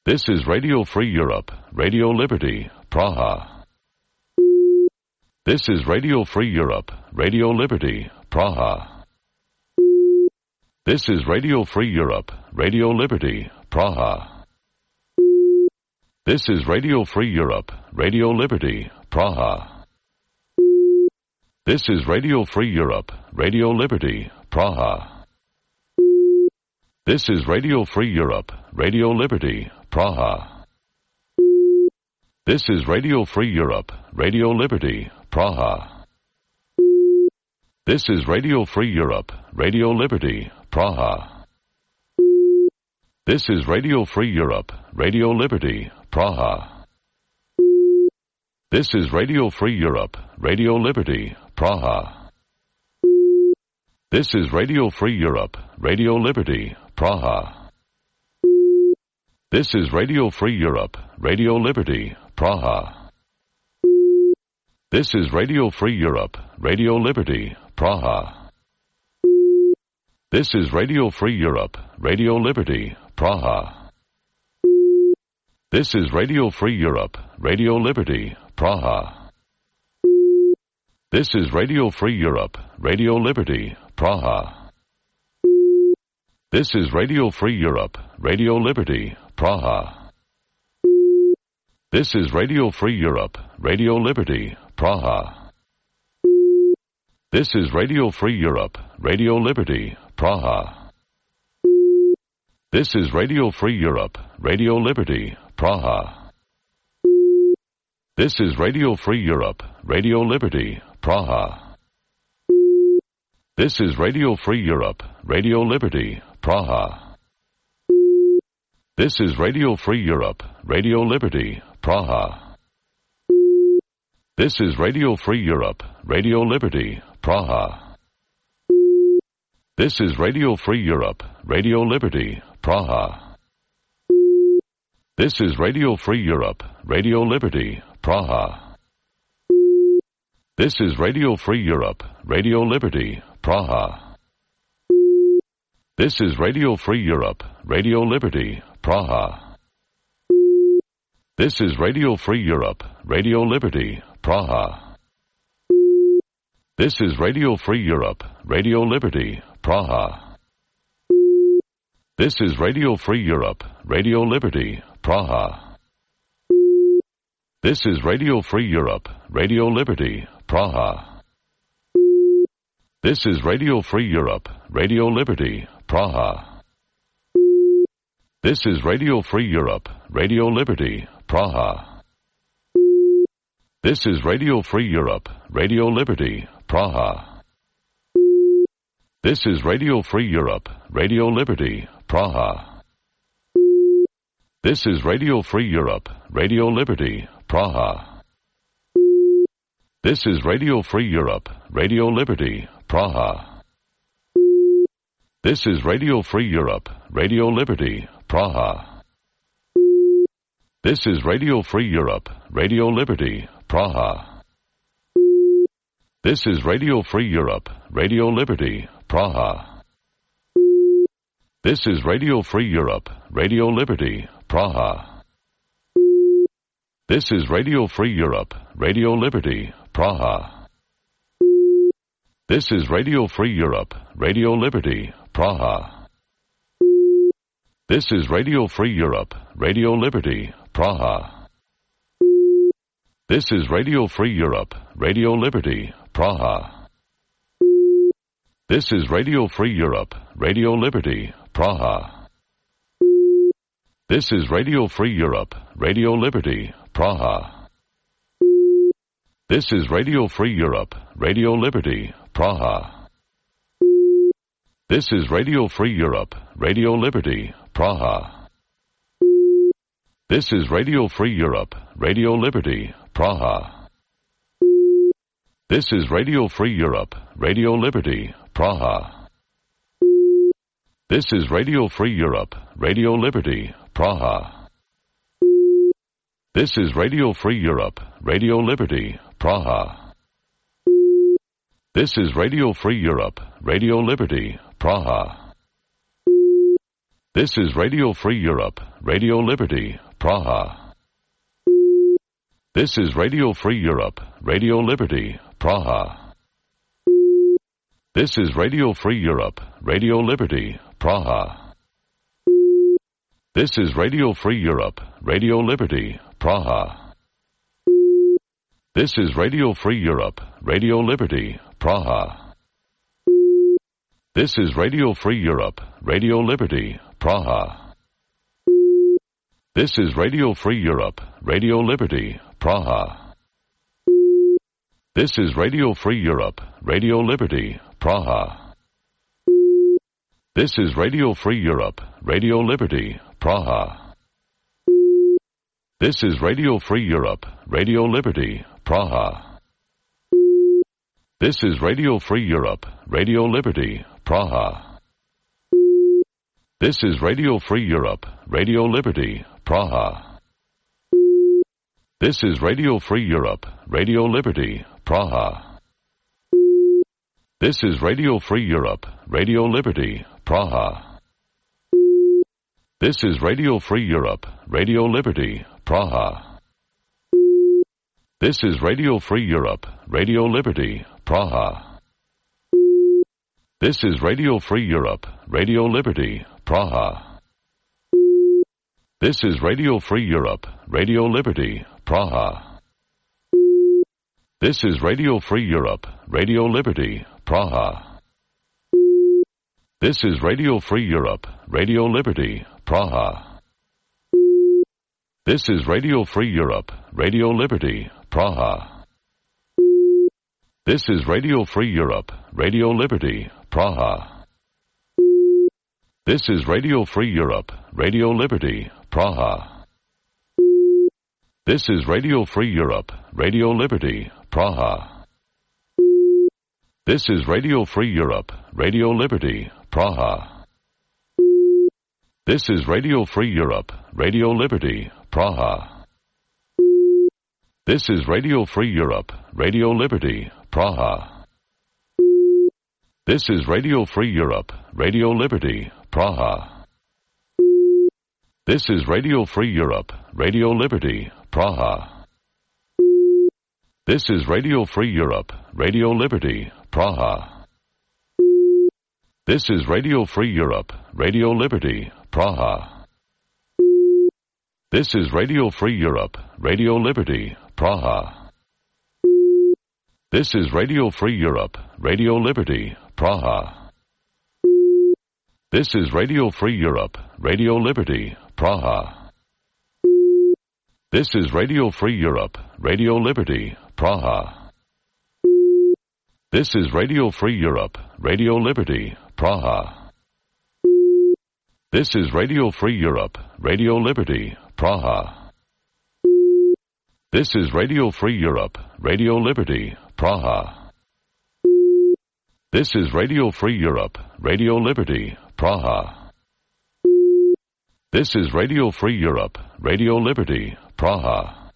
[SPEAKER 4] This is Radio Free Europe, Radio Liberty, Praha. This is Radio Free Europe, Radio Liberty, Praha. This is Radio Free Europe, Radio Liberty, Praha. This is Radio Free Europe, Radio Liberty, Praha. This is Radio Free Europe, Radio Liberty, Praha. This is Radio Free Europe, Radio Liberty, Praha. This is Radio Free Europe, Radio Liberty, Praha. This is Radio Free Europe, Radio Liberty, Praha. This is Radio Free Europe, Radio Liberty, Praha. This is Radio Free Europe, Radio Liberty, Praha. This is Radio Free Europe, Radio Liberty, Praha. This is Radio Free Europe, Radio Liberty, Praha. This is Radio Free Europe, Radio Liberty, Praha. This is Radio Free Europe, Radio Liberty, Praha. This is Radio Free Europe, Radio Liberty, Praha. This is Radio Free Europe, Radio Liberty, Praha. This is Radio Free Europe, Radio Liberty, Praha. This is Radio Free Europe, Radio Liberty, Praha. This is Radio Free Europe, Radio Liberty, Praha. This is Radio Free Europe, Radio Liberty, Praha. This is Radio Free Europe, Radio Liberty, Praha. This is Radio Free Europe, Radio Liberty, Praha. This is Radio Free Europe, Radio Liberty, Praha. This is Radio Free Europe, Radio Liberty, Praha. This is Radio Free Europe, Radio Liberty, Praha. This is Radio Free Europe, Radio Liberty, Praha. This is Radio Free Europe, Radio Liberty, Praha. This is Radio Free Europe, Radio Liberty, Praha. This is Radio Free Europe, Radio Liberty, Praha. This is Radio Free Europe, Radio Liberty, Praha. This is Radio Free Europe, Radio Liberty, Praha. This is Radio Free Europe, Radio Liberty, Praha. This is Radio Free Europe, Radio Liberty, Praha. This is Radio Free Europe, Radio Liberty, Praha. This is Radio Free Europe, Radio Liberty, Praha. This is Radio Free Europe, Radio Liberty, Praha. This is Radio Free Europe, Radio Liberty, Praha. This is Radio Free Europe, Radio Liberty, Praha. This is Radio Free Europe, Radio Liberty, Praha. This is Radio Free Europe, Radio Liberty, Praha. This is Radio Free Europe, Radio Liberty, Praha. This is Radio Free Europe, Radio Liberty, Praha. This is Radio Free Europe, Radio Liberty, Praha. This is Radio Free Europe, Radio Liberty, Praha. This is Radio Free Europe, Radio Liberty, Praha. This is Radio Free Europe, Radio Liberty, Praha. This is Radio Free Europe, Radio Liberty, Praha. This is Radio Free Europe, Radio Liberty, Praha. This is Radio Free Europe, Radio Liberty, Praha. This is Radio Free Europe, Radio Liberty, Praha. This is Radio Free Europe, Radio Liberty, Praha. This is Radio Free Europe, Radio Liberty, Praha. This is Radio Free Europe, Radio Liberty, Praha. This is Radio Free Europe, Radio Liberty, Praha. This is Radio Free Europe, Radio Liberty, Praha. This is Radio Free Europe, Radio Liberty, Praha. This is Radio Free Europe, Radio Liberty, Praha. This is Radio Free Europe, Radio Liberty, Praha. This is Radio Free Europe, Radio Liberty, Praha. This is Radio Free Europe, Radio Liberty, Praha. This is Radio Free Europe, Radio Liberty, Praha. This is Radio Free Europe, Radio Liberty, Praha. This is Radio Free Europe, Radio Liberty, Praha. This is Radio Free Europe, Radio Liberty, Praha. This is Radio Free Europe, Radio Liberty, Praha. This is Radio Free Europe, Radio Liberty, Praha. This is Radio Free Europe, Radio Liberty, Praha. This is Radio Free Europe, Radio Liberty, Praha. This is Radio Free Europe, Radio Liberty, Praha. This is Radio Free Europe, Radio Liberty, Praha. This is Radio Free Europe, Radio Liberty, Praha. This is Radio Free Europe, Radio Liberty, Praha. This is Radio Free Europe, Radio Liberty, Praha. This is Radio Free Europe, Radio Liberty, Praha. This is Radio Free Europe, Radio Liberty, Praha. This is Radio Free Europe, Radio Liberty, Praha. This is Radio Free Europe, Radio Liberty, Praha. This is Radio Free Europe, Radio Liberty, Praha. This is Radio Free Europe, Radio Liberty, Praha. This is Radio Free Europe, Radio Liberty, Praha. This is Radio Free Europe, Radio Liberty, Praha. This is Radio Free Europe, Radio Liberty, Praha. This is Radio Free Europe, Radio Liberty, Praha. This is Radio Free Europe, Radio Liberty, Praha. This is Radio Free Europe, Radio Liberty, Praha. This is Radio Free Europe, Radio Liberty, Praha. This is Radio Free Europe, Radio Liberty, Praha. This is Radio Free Europe, Radio Liberty, Praha. This is Radio Free Europe, Radio Liberty, Praha. This is Radio Free Europe, Radio Liberty, Praha. This is Radio Free Europe, Radio Liberty, Praha. This is Radio Free Europe, Radio Liberty, Praha. This is Radio Free Europe, Radio Liberty, Praha. This is Radio Free Europe, Radio Liberty, Praha. This is Radio Free Europe, Radio Liberty, Praha.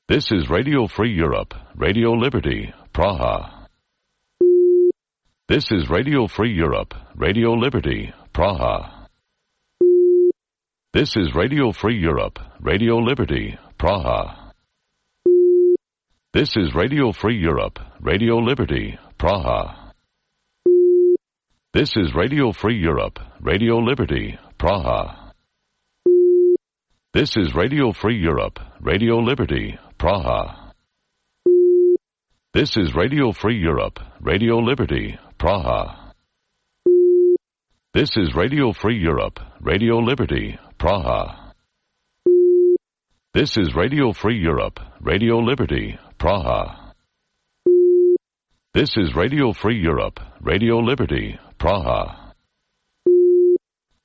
[SPEAKER 4] This is Radio Free Europe, Radio Liberty, Praha. This is Radio Free Europe, Radio Liberty, Praha. This is Radio Free Europe, Radio Liberty, Praha. This is Radio Free Europe, Radio Liberty, Praha. This is Radio Free Europe, Radio Liberty, Praha. This is Radio Free Europe, Radio Liberty, Praha. This is Radio Free Europe, Radio Liberty, Praha. This is Radio Free Europe, Radio Liberty, Praha. This is Radio Free Europe, Radio Liberty, Praha. This is Radio Free Europe, Radio Liberty, Praha.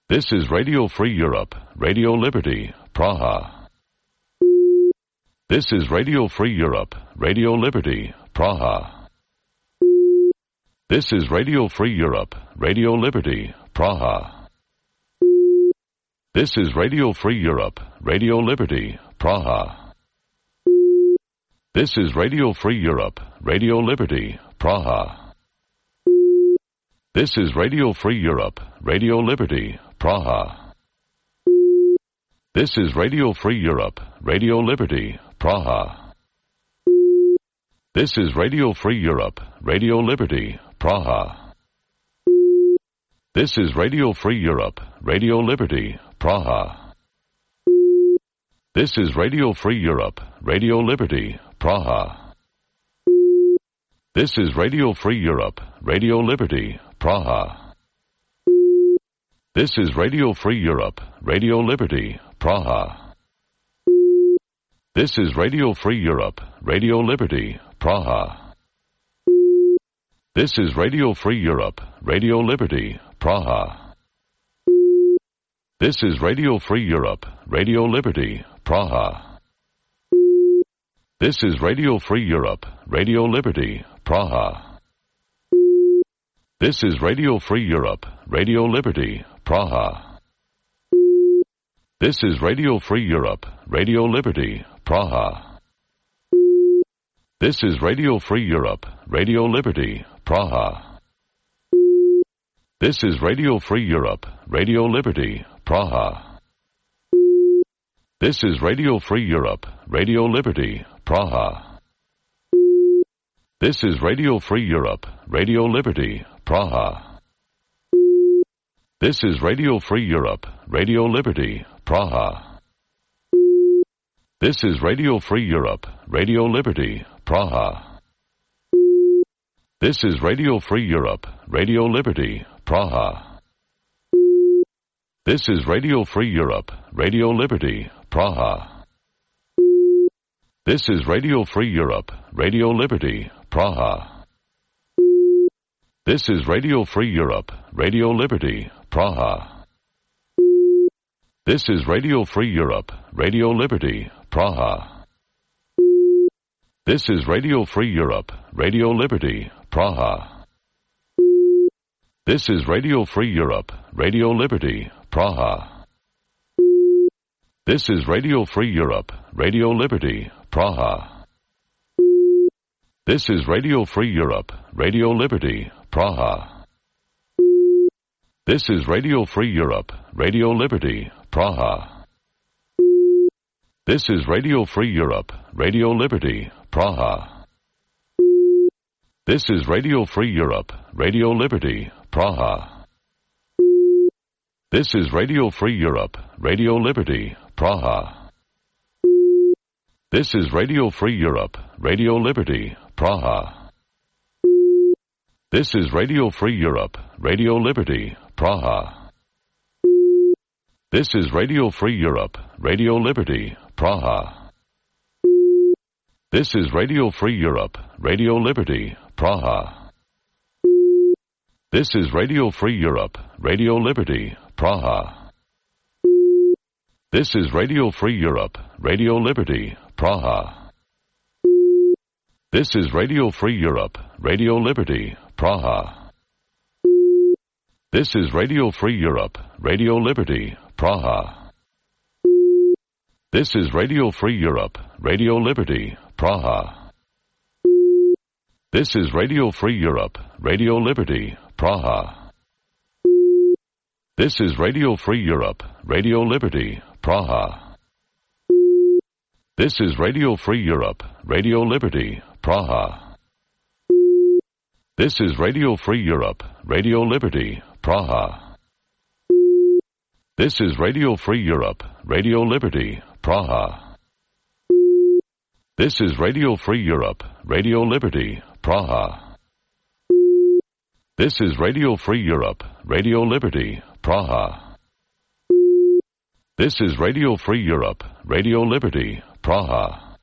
[SPEAKER 4] This is Radio Free Europe, Radio Liberty, Praha. This is Radio Free Europe, Radio Liberty, Praha. This is Radio Free Europe, Radio Liberty, Praha. This is Radio Free Europe, Radio Liberty, Praha. This is Radio Free Europe, Radio Liberty, Praha. This is Radio Free Europe, Radio Liberty, Praha. This is Radio Free Europe, Radio Liberty, Praha. This is Radio Free Europe, Radio Liberty, Praha. This is Radio Free Europe, Radio Liberty, Praha. This is Radio Free Europe, Radio Liberty, Praha. This is Radio Free Europe, Radio Liberty, Praha. This is Radio Free Europe, Radio Liberty, Praha. This is Radio Free Europe, Radio Liberty, Praha. This is Radio Free Europe, Radio Liberty, Praha. This is Radio Free Europe, Radio Liberty, Praha. This is Radio Free Europe, Radio Liberty, Praha. This is Radio Free Europe, Radio Liberty, Praha. This is Radio Free Europe, Radio Liberty, Praha. This is Radio Free Europe, Radio Liberty, Praha. This is Radio Free Europe, Radio Liberty, Praha. This is Radio Free Europe, Radio Liberty, Praha. This is Radio Free Europe, Radio Liberty, Praha. This is Radio Free Europe, Radio Liberty, Praha. This is Radio Free Europe, Radio Liberty, Praha. This is Radio Free Europe, Radio Liberty, Praha. This is Radio Free Europe, Radio Liberty, Praha. This is Radio Free Europe, Radio Liberty, Praha. This is Radio Free Europe, Radio Liberty, Praha. This is Radio Free Europe, Radio Liberty, Praha. This is Radio Free Europe, Radio Liberty, Praha. This is Radio Free Europe, Radio Liberty, Praha. This is Radio Free Europe, Radio Liberty, Praha. This is Radio Free Europe, Radio Liberty, Praha. This is Radio Free Europe, Radio Liberty, Praha. This is Radio Free Europe, Radio Liberty, Praha. This is Radio Free Europe, Radio Liberty, Praha. This is Radio Free Europe, Radio Liberty, Praha. This is Radio Free Europe, Radio Liberty, Praha. This is Radio Free Europe, Radio Liberty, Praha. This is Radio Free Europe, Radio Liberty, Praha. This is Radio Free Europe, Radio Liberty, Praha. This is Radio Free Europe, Radio Liberty, Praha. This is Radio Free Europe, Radio Liberty, Praha. This is Radio Free Europe, Radio Liberty, Praha. This is Radio Free Europe, Radio Liberty, Praha. This is Radio Free Europe, Radio Liberty, Praha. This is Radio Free Europe, Radio Liberty, Praha. This is Radio Free Europe, Radio Liberty, Praha. This is Radio Free Europe, Radio Liberty, Praha. This is Radio Free Europe, Radio Liberty, Praha. This is Radio Free Europe, Radio Liberty, Praha. This is Radio Free Europe, Radio Liberty, Praha. This is Radio Free Europe, Radio Liberty, Praha. This is Radio Free Europe, Radio Liberty, Praha.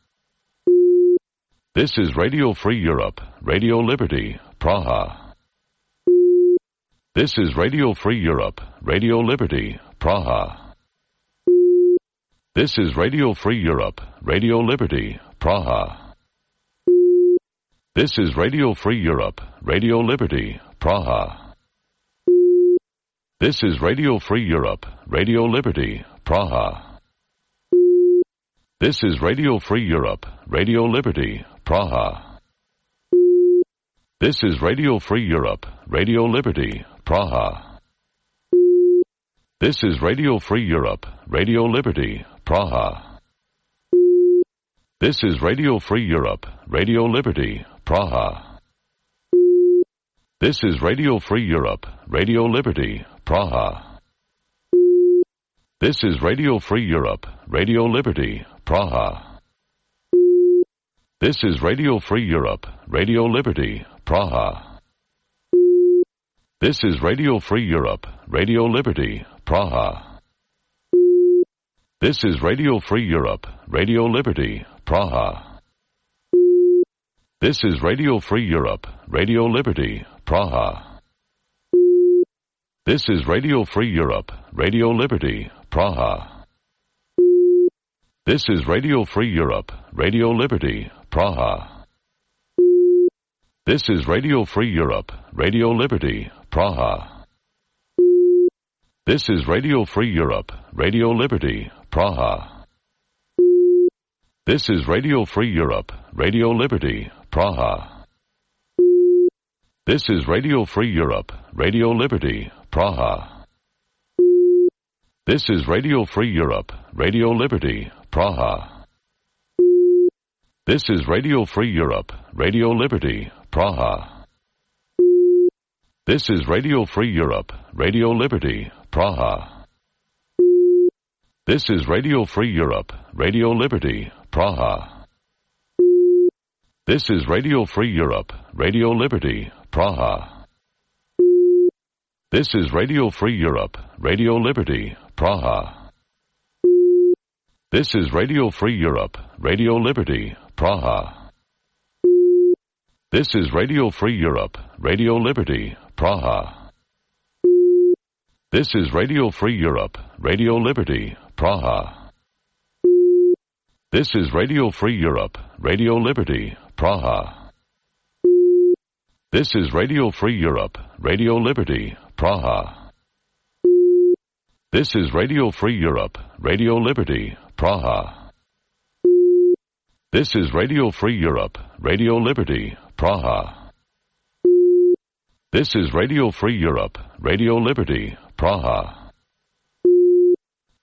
[SPEAKER 4] This is Radio Free Europe, Radio Liberty, Praha. This is Radio Free Europe, Radio Liberty, Praha. This is Radio Free Europe, Radio Liberty, Praha. This is Radio Free Europe, Radio Liberty, Praha. This is Radio Free Europe, Radio Liberty, Praha. This is Radio Free Europe, Radio Liberty, Praha. This is Radio Free Europe, Radio Liberty, Praha. This is Radio Free Europe, Radio Liberty, Praha. This is Radio Free Europe, Radio Liberty, Praha. This is Radio Free Europe, Radio Liberty, Praha. This is Radio Free Europe, Radio Liberty, Praha. This is Radio Free Europe, Radio Liberty, Praha. This is Radio Free Europe, Radio Liberty, Praha. This is Radio Free Europe, Radio Liberty, Praha. This is Radio Free Europe, Radio Liberty, Praha. This is Radio Free Europe, Radio Liberty, Praha. This is Radio Free Europe, Radio Liberty, Praha. This is Radio Free Europe, Radio Liberty, Praha. This is Radio Free Europe, Radio Liberty, Praha. This is Radio Free Europe, Radio Liberty, Praha. This is Radio Free Europe, Radio Liberty, Praha. This is Radio Free Europe, Radio Liberty, Praha. This is Radio Free Europe, Radio Liberty, Praha. This is Radio Free Europe, Radio Liberty, Praha. This is Radio Free Europe, Radio Liberty, Praha. This is Radio Free Europe, Radio Liberty, Praha. This is Radio Free Europe, Radio Liberty, Praha. This is Radio Free Europe, Radio Liberty, Praha. This is Radio Free Europe, Radio Liberty, Praha. This is Radio Free Europe, Radio Liberty, Praha. This is Radio Free Europe, Radio Liberty, Praha. This is Radio Free Europe, Radio Liberty, Praha. This is Radio Free Europe, Radio Liberty, Praha. This is Radio Free Europe, Radio Liberty, Praha. This is Radio Free Europe, Radio Liberty, Praha.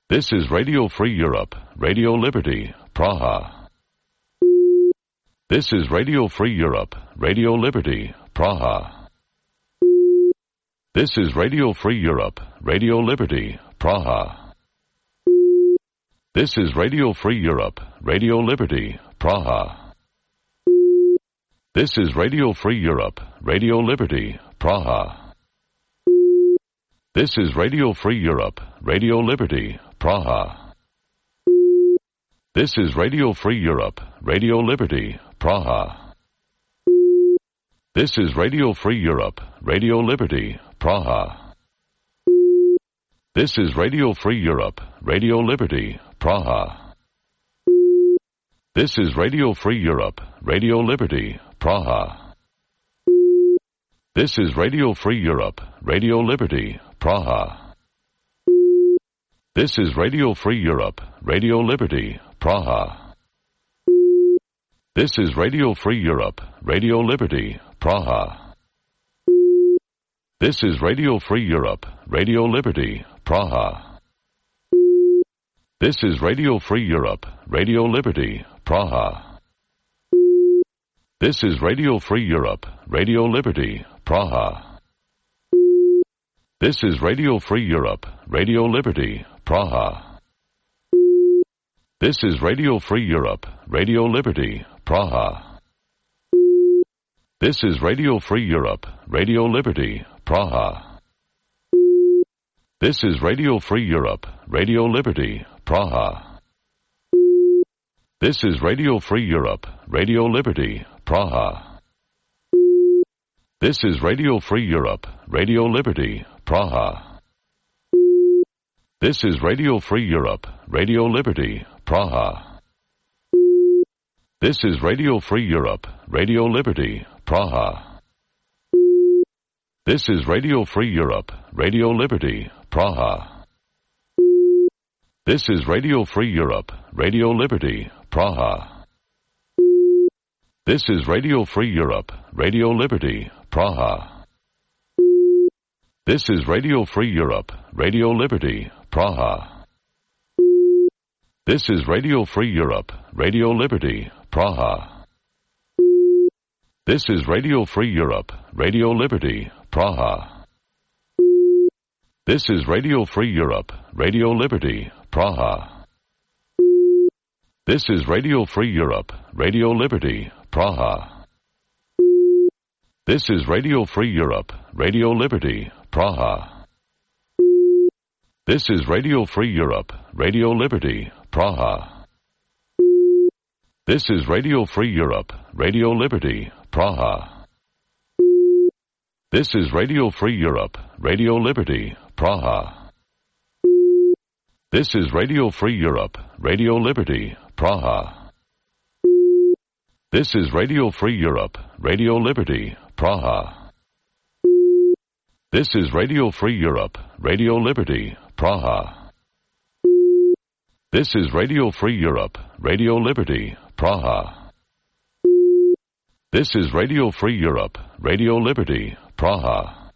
[SPEAKER 4] This is Radio Free Europe, Radio Liberty, Praha. This is Radio Free Europe, Radio Liberty, Praha. This is Radio Free Europe, Radio Liberty, Praha. This is Radio Free Europe, Radio Liberty, Praha. This is Radio Free Europe, Radio Liberty, Praha. This is Radio Free Europe, Radio Liberty, Praha. This is Radio Free Europe, Radio Liberty, Praha. This is Radio Free Europe, Radio Liberty, Praha. This is Radio Free Europe, Radio Liberty, Praha. This is Radio Free Europe, Radio Liberty, Praha. This is Radio Free Europe, Radio Liberty, Praha. This is Radio Free Europe, Radio Liberty, Praha. This is Radio Free Europe, Radio Liberty, Praha. This is Radio Free Europe, Radio Liberty, Praha. This is Radio Free Europe, Radio Liberty, Praha. This is Radio Free Europe, Radio Liberty, Praha. This is Radio Free Europe, Radio Liberty, Praha. This is Radio Free Europe, Radio Liberty, Praha. This is Radio Free Europe, Radio Liberty, Praha. This is Radio Free Europe, Radio Liberty, Praha. This is Radio Free Europe, Radio Liberty, Praha. This is Radio Free Europe, Radio Liberty, Praha. This is Radio Free Europe, Radio Liberty, Praha. This is Radio Free Europe, Radio Liberty, Praha. This is Radio Free Europe, Radio Liberty, Praha. This is Radio Free Europe, Radio Liberty, Praha. This is Radio Free Europe, Radio Liberty, Praha. This is Radio Free Europe, Radio Liberty, Praha. This is Radio Free Europe, Radio Liberty, Praha. This is Radio Free Europe, Radio Liberty, Praha. This is Radio Free Europe, Radio Liberty, Praha. This is Radio Free Europe, Radio Liberty, Praha. This is Radio Free Europe, Radio Liberty, Praha. This is Radio Free Europe, Radio Liberty, Praha. This is Radio Free Europe, Radio Liberty, Praha. This is Radio Free Europe, Radio Liberty, Praha. This is Radio Free Europe, Radio Liberty, Praha. This is Radio Free Europe, Radio Liberty, Praha. This is Radio Free Europe, Radio Liberty, Praha. This is Radio Free Europe, Radio Liberty, Praha. This is Radio Free Europe, Radio Liberty, Praha.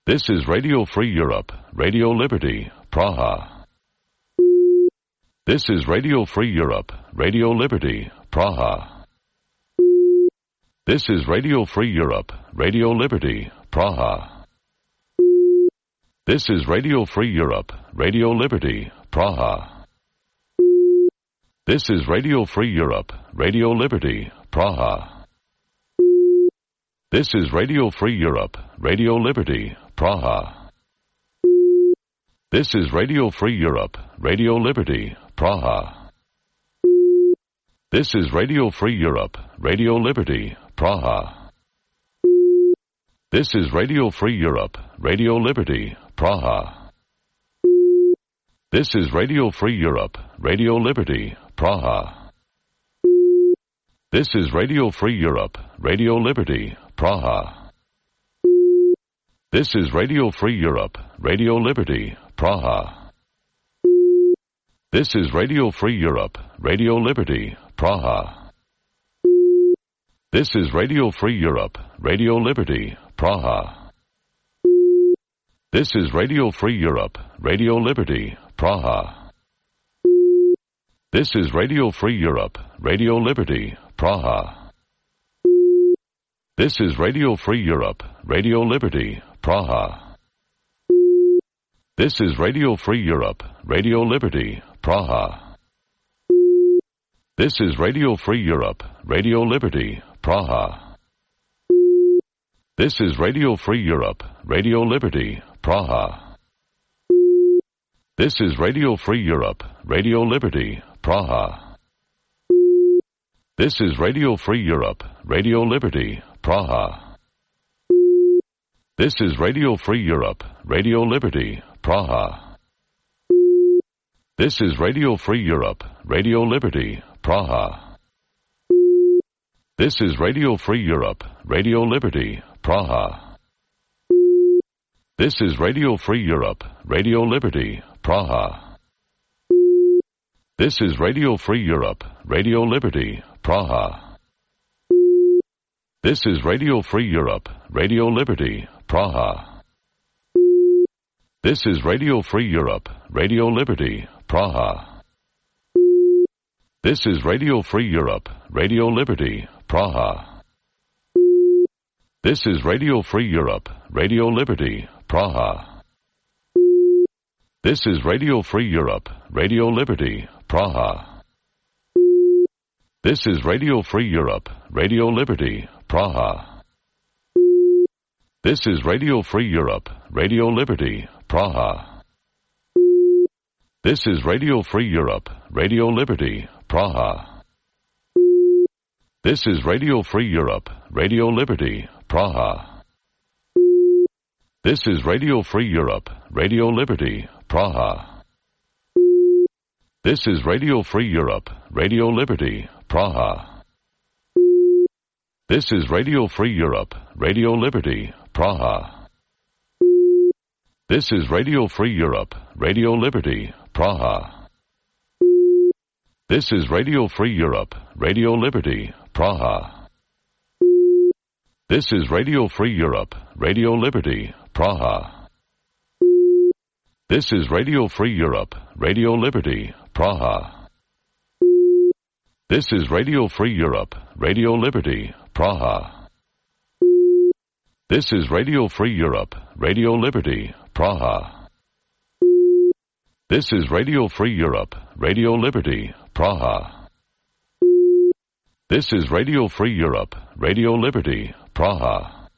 [SPEAKER 4] This is Radio Free Europe, Radio Liberty, Praha. This is Radio Free Europe, Radio Liberty, Praha. This is Radio Free Europe, Radio Liberty, Praha. This is Radio Free Europe, Radio Liberty, Praha. This is Radio Free Europe, Radio Liberty, Praha. This is Radio Free Europe, Radio Liberty, Praha. This is Radio Free Europe, Radio Liberty, Praha. This is Radio Free Europe, Radio Liberty, Praha. This is Radio Free Europe, Radio Liberty, Praha. This is Radio Free Europe, Radio Liberty, Praha. This is Radio Free Europe, Radio Liberty, Praha. This is Radio Free Europe, Radio Liberty, Praha. This is Radio Free Europe, Radio Liberty, Praha. This is Radio Free Europe, Radio Liberty, Praha. This is Radio Free Europe, Radio Liberty, Praha. This is Radio Free Europe, Radio Liberty, Praha. This is Radio Free Europe, Radio Liberty, Praha. This is Radio Free Europe, Radio Liberty, Praha. This is Radio Free Europe, Radio Liberty, Praha. This is Radio Free Europe, Radio Liberty, Praha. This is Radio Free Europe, Radio Liberty, Praha. This is Radio Free Europe, Radio Liberty, Praha. This is Radio Free Europe, Radio Liberty, Praha. This is Radio Free Europe, Radio Liberty, Praha. This is Radio Free Europe, Radio Liberty, Praha. This is Radio Free Europe, Radio Liberty, Praha. This is Radio Free Europe, Radio Liberty, Praha. This is Radio Free Europe, Radio Liberty, Praha. This is Radio Free Europe, Radio Liberty, Praha. This is Radio Free Europe, Radio Liberty, Praha. This is Radio Free Europe, Radio Liberty, Praha. This is Radio Free Europe, Radio Liberty, Praha. This is Radio Free Europe, Radio Liberty, Praha. This is Radio Free Europe, Radio Liberty, Praha. This is Radio Free Europe, Radio Liberty, Praha. This is Radio Free Europe, Radio Liberty, Praha. This is Radio Free Europe, Radio Liberty, Praha. This is Radio Free Europe, Radio Liberty, Praha. This is Radio Free Europe, Radio Liberty, Praha. This is Radio Free Europe, Radio Liberty, Praha. This is Radio Free Europe, Radio Liberty, Praha. This is Radio Free Europe, Radio Liberty, Praha. This is Radio Free Europe, Radio Liberty, Praha. This is Radio Free Europe, Radio Liberty, Praha. This is Radio Free Europe, Radio Liberty, Praha. This is Radio Free Europe, Radio Liberty, Praha. This is Radio Free Europe, Radio Liberty, Praha.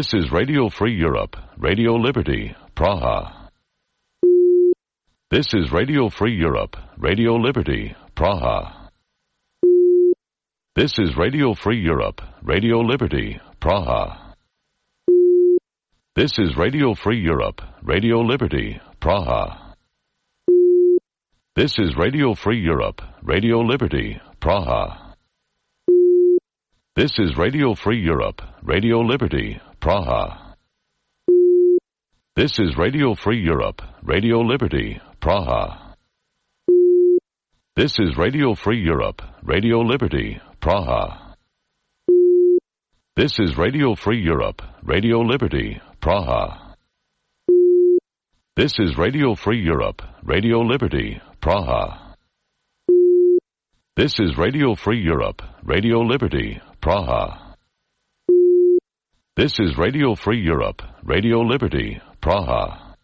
[SPEAKER 4] This is Radio Free Europe, Radio Liberty, Praha. This is Radio Free Europe, Radio Liberty, Praha. This is Radio Free Europe, Radio Liberty, Praha. This is Radio Free Europe, Radio Liberty, Praha. This is Radio Free Europe, Radio Liberty, Praha. This is Radio Free Europe, Radio Liberty, Praha. This is Radio Free Europe, Radio Liberty, Praha. This is Radio Free Europe, Radio Liberty, Praha. This is Radio Free Europe, Radio Liberty, Praha. This is Radio Free Europe, Radio Liberty, Praha. This is Radio Free Europe, Radio Liberty, Praha. This is Radio Free Europe, Radio Liberty, Praha.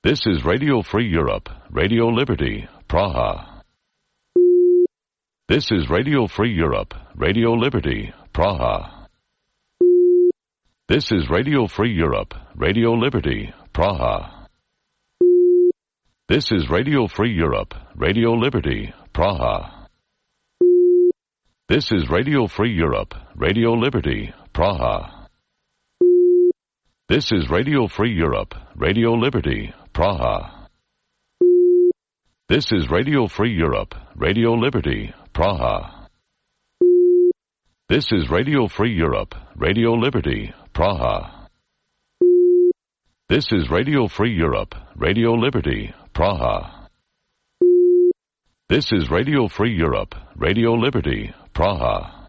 [SPEAKER 4] This is Radio Free Europe, Radio Liberty, Praha. This is Radio Free Europe, Radio Liberty, Praha. This is Radio Free Europe, Radio Liberty, Praha. This is Radio Free Europe, Radio Liberty, Praha. This is Radio Free Europe, Radio Liberty, Praha. This is Radio Free Europe, Radio Liberty, Praha. This is Radio Free Europe, Radio Liberty, Praha. This is Radio Free Europe, Radio Liberty, Praha. This is Radio Free Europe, Radio Liberty, Praha. This is Radio Free Europe, Radio Liberty, Praha.